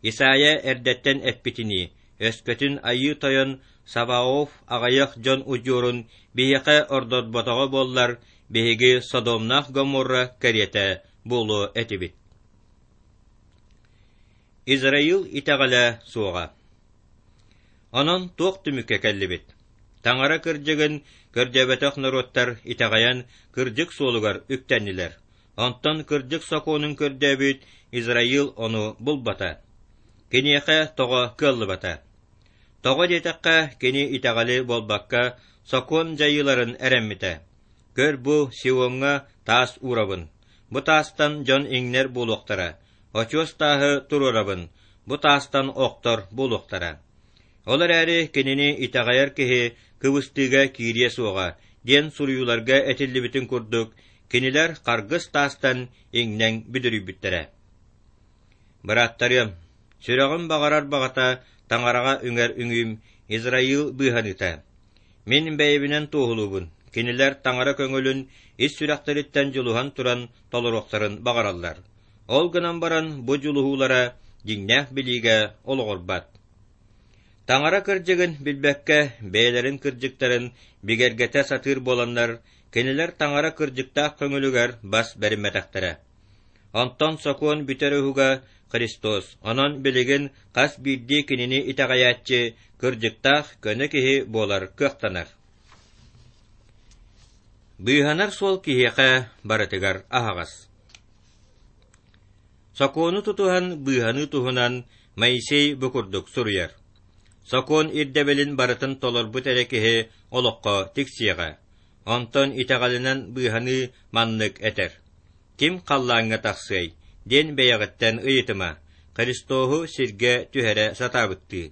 Исайя эрдэттэн эппитинии, өскөтүн Айыы Тойон Саваоф аҕыйах дьон удьуорун биһиэхэ ордорботоҕо буоллар, биһиги Содомнаах Гоморра кэриэтэ буолуо этибит. Израил итэҕэлэ суоҕа. Онон туох түмүккэ кэллибит? Таҥара кырдьыгын көрдөөбөтөх норуоттар итэҕэйэн кырдьык суолугар үктэннилэр. Онтон кырдьык сокуонун көрдөөбүт Израил ону булбата. Киниэхэ тоҕо кыаллыбата? Тоҕо диэтэххэ, кини итэҕэли буолбакка, сокуон дьайыыларын эрэммитэ. Көр бу Сиоҥҥа таас уурабын, бу таастан дьон иҥнэр буолуохтара, очуос тааһы туруорабын, бу таастан охтор буолуохтара. Ол эрээри кинини итэҕэйэр киһи кыбыстыыга киириэ суоҕа диэн суруйууларга этиллибитин курдук, кинилэр харгыс таастан иҥнэн бүдүрүйбүттэрэ. Бырааттарыам, сүрэҕим баҕарар баҕата Таҥараҕа үҥэр үҥүүм Израил быыһаныыта. Мин бэйэбинэн туоһулуубун, кинилэр Таҥара көҥүлүн ис сүрэхтэриттэн дьулуһан туран толоруохтарын баҕараллар. Ол гынан баран бу дьулуһуулара дьиҥнээх билиигэ олоҕурбат. Таҥара кырдьыгын билбэккэ бэйэлэрин кырдьыктарын бигэргэтэ сатыыр буоланнар, кинилэр Таҥара кырдьыктаах көҥүлүгэр бас бэриммэтэхтэрэ. Онтон сокуон бүтэр уһуга Христос, онон билигин хас биирдии кинини итэҕэйээччи кырдьыктаах көнө киһи буолар кыахтанар. Быыһанар суол киһиэхэ барытыгар аһаҕас. Сокуону тутуһан быыһаныы туһунан Моисей бу курдук суруйар: «Сокуон ирдэбилин барытын толорбут эрэ киһи олоххо тиксиэҕэ. Онтон итэҕэлинэн быыһаныы маннык этэр: Ким халлааҥҥа тахсыай диэн бэйэҕиттэн ыйытыма, Христоһу сиргэ түһэрэ сатаабыттыы.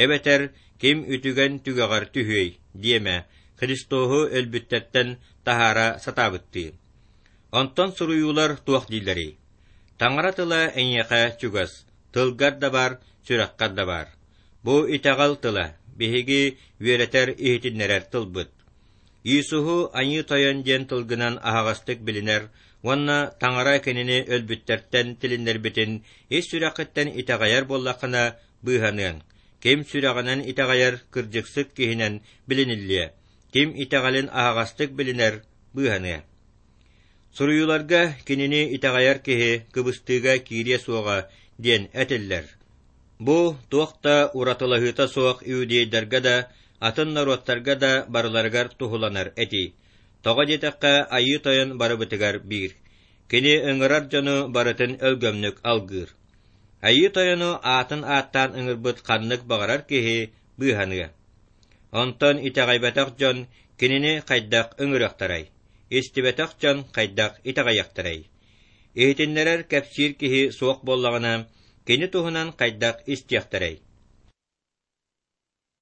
Эбэтэр ким үтүгэн түгэҕэр түһүөй диэмэ, Христоһу өлбүттэртэн таһаара сатаабыттыы. Онтон суруйуулар туох дииллэрий? Таҥара тыла эйиэхэ чугас, тылгар да баар, сүрэххэр да баар. Бу итэҕэл тыла, биһиги үөрэтэр иһитиннэрэр тылбыт. Иисуһу Айыы Тойон диэн тылгынан аһаҕастык билинэр уонна Таҥара кинини өлбүттэртэн тилиннэрбитин ис сүрэххиттэн итэҕэйэр буоллаххына быыһаныаҥ. Ким сүрэҕинэн итэҕэйэр кырдьыксыт киһинэн билиниллиэ, ким итэҕэлин аһаҕастык билинэр быыһаныа. Суруйууларга кинини итэҕэйэр киһи кыбыстыыга киириэ суоҕа диэн этиллэр. Бу туох да уратылаһыыта суох иудейдарга да, атын норуоттарга да барыларыгар туһуланар этии. Тоҕо диэтэххэ, Айыы Тойон барыбытыгар биир. Кини ыҥырар дьону барытын өлгөмнүк алгыыр. Айыы Тойону аатын ааттаан ыҥырбыт ханнык баҕарар киһи быыһаныа. Онтон итэҕэйбэтэх дьон кинини хайдах ыҥырыахтарай? Истибэтэх дьон хайдах итэҕэйиэхтэрэй? Иһитиннэрэр кэпсиир киһи суох буоллаҕына, кини туһунан хайдах истиэхтэрэй?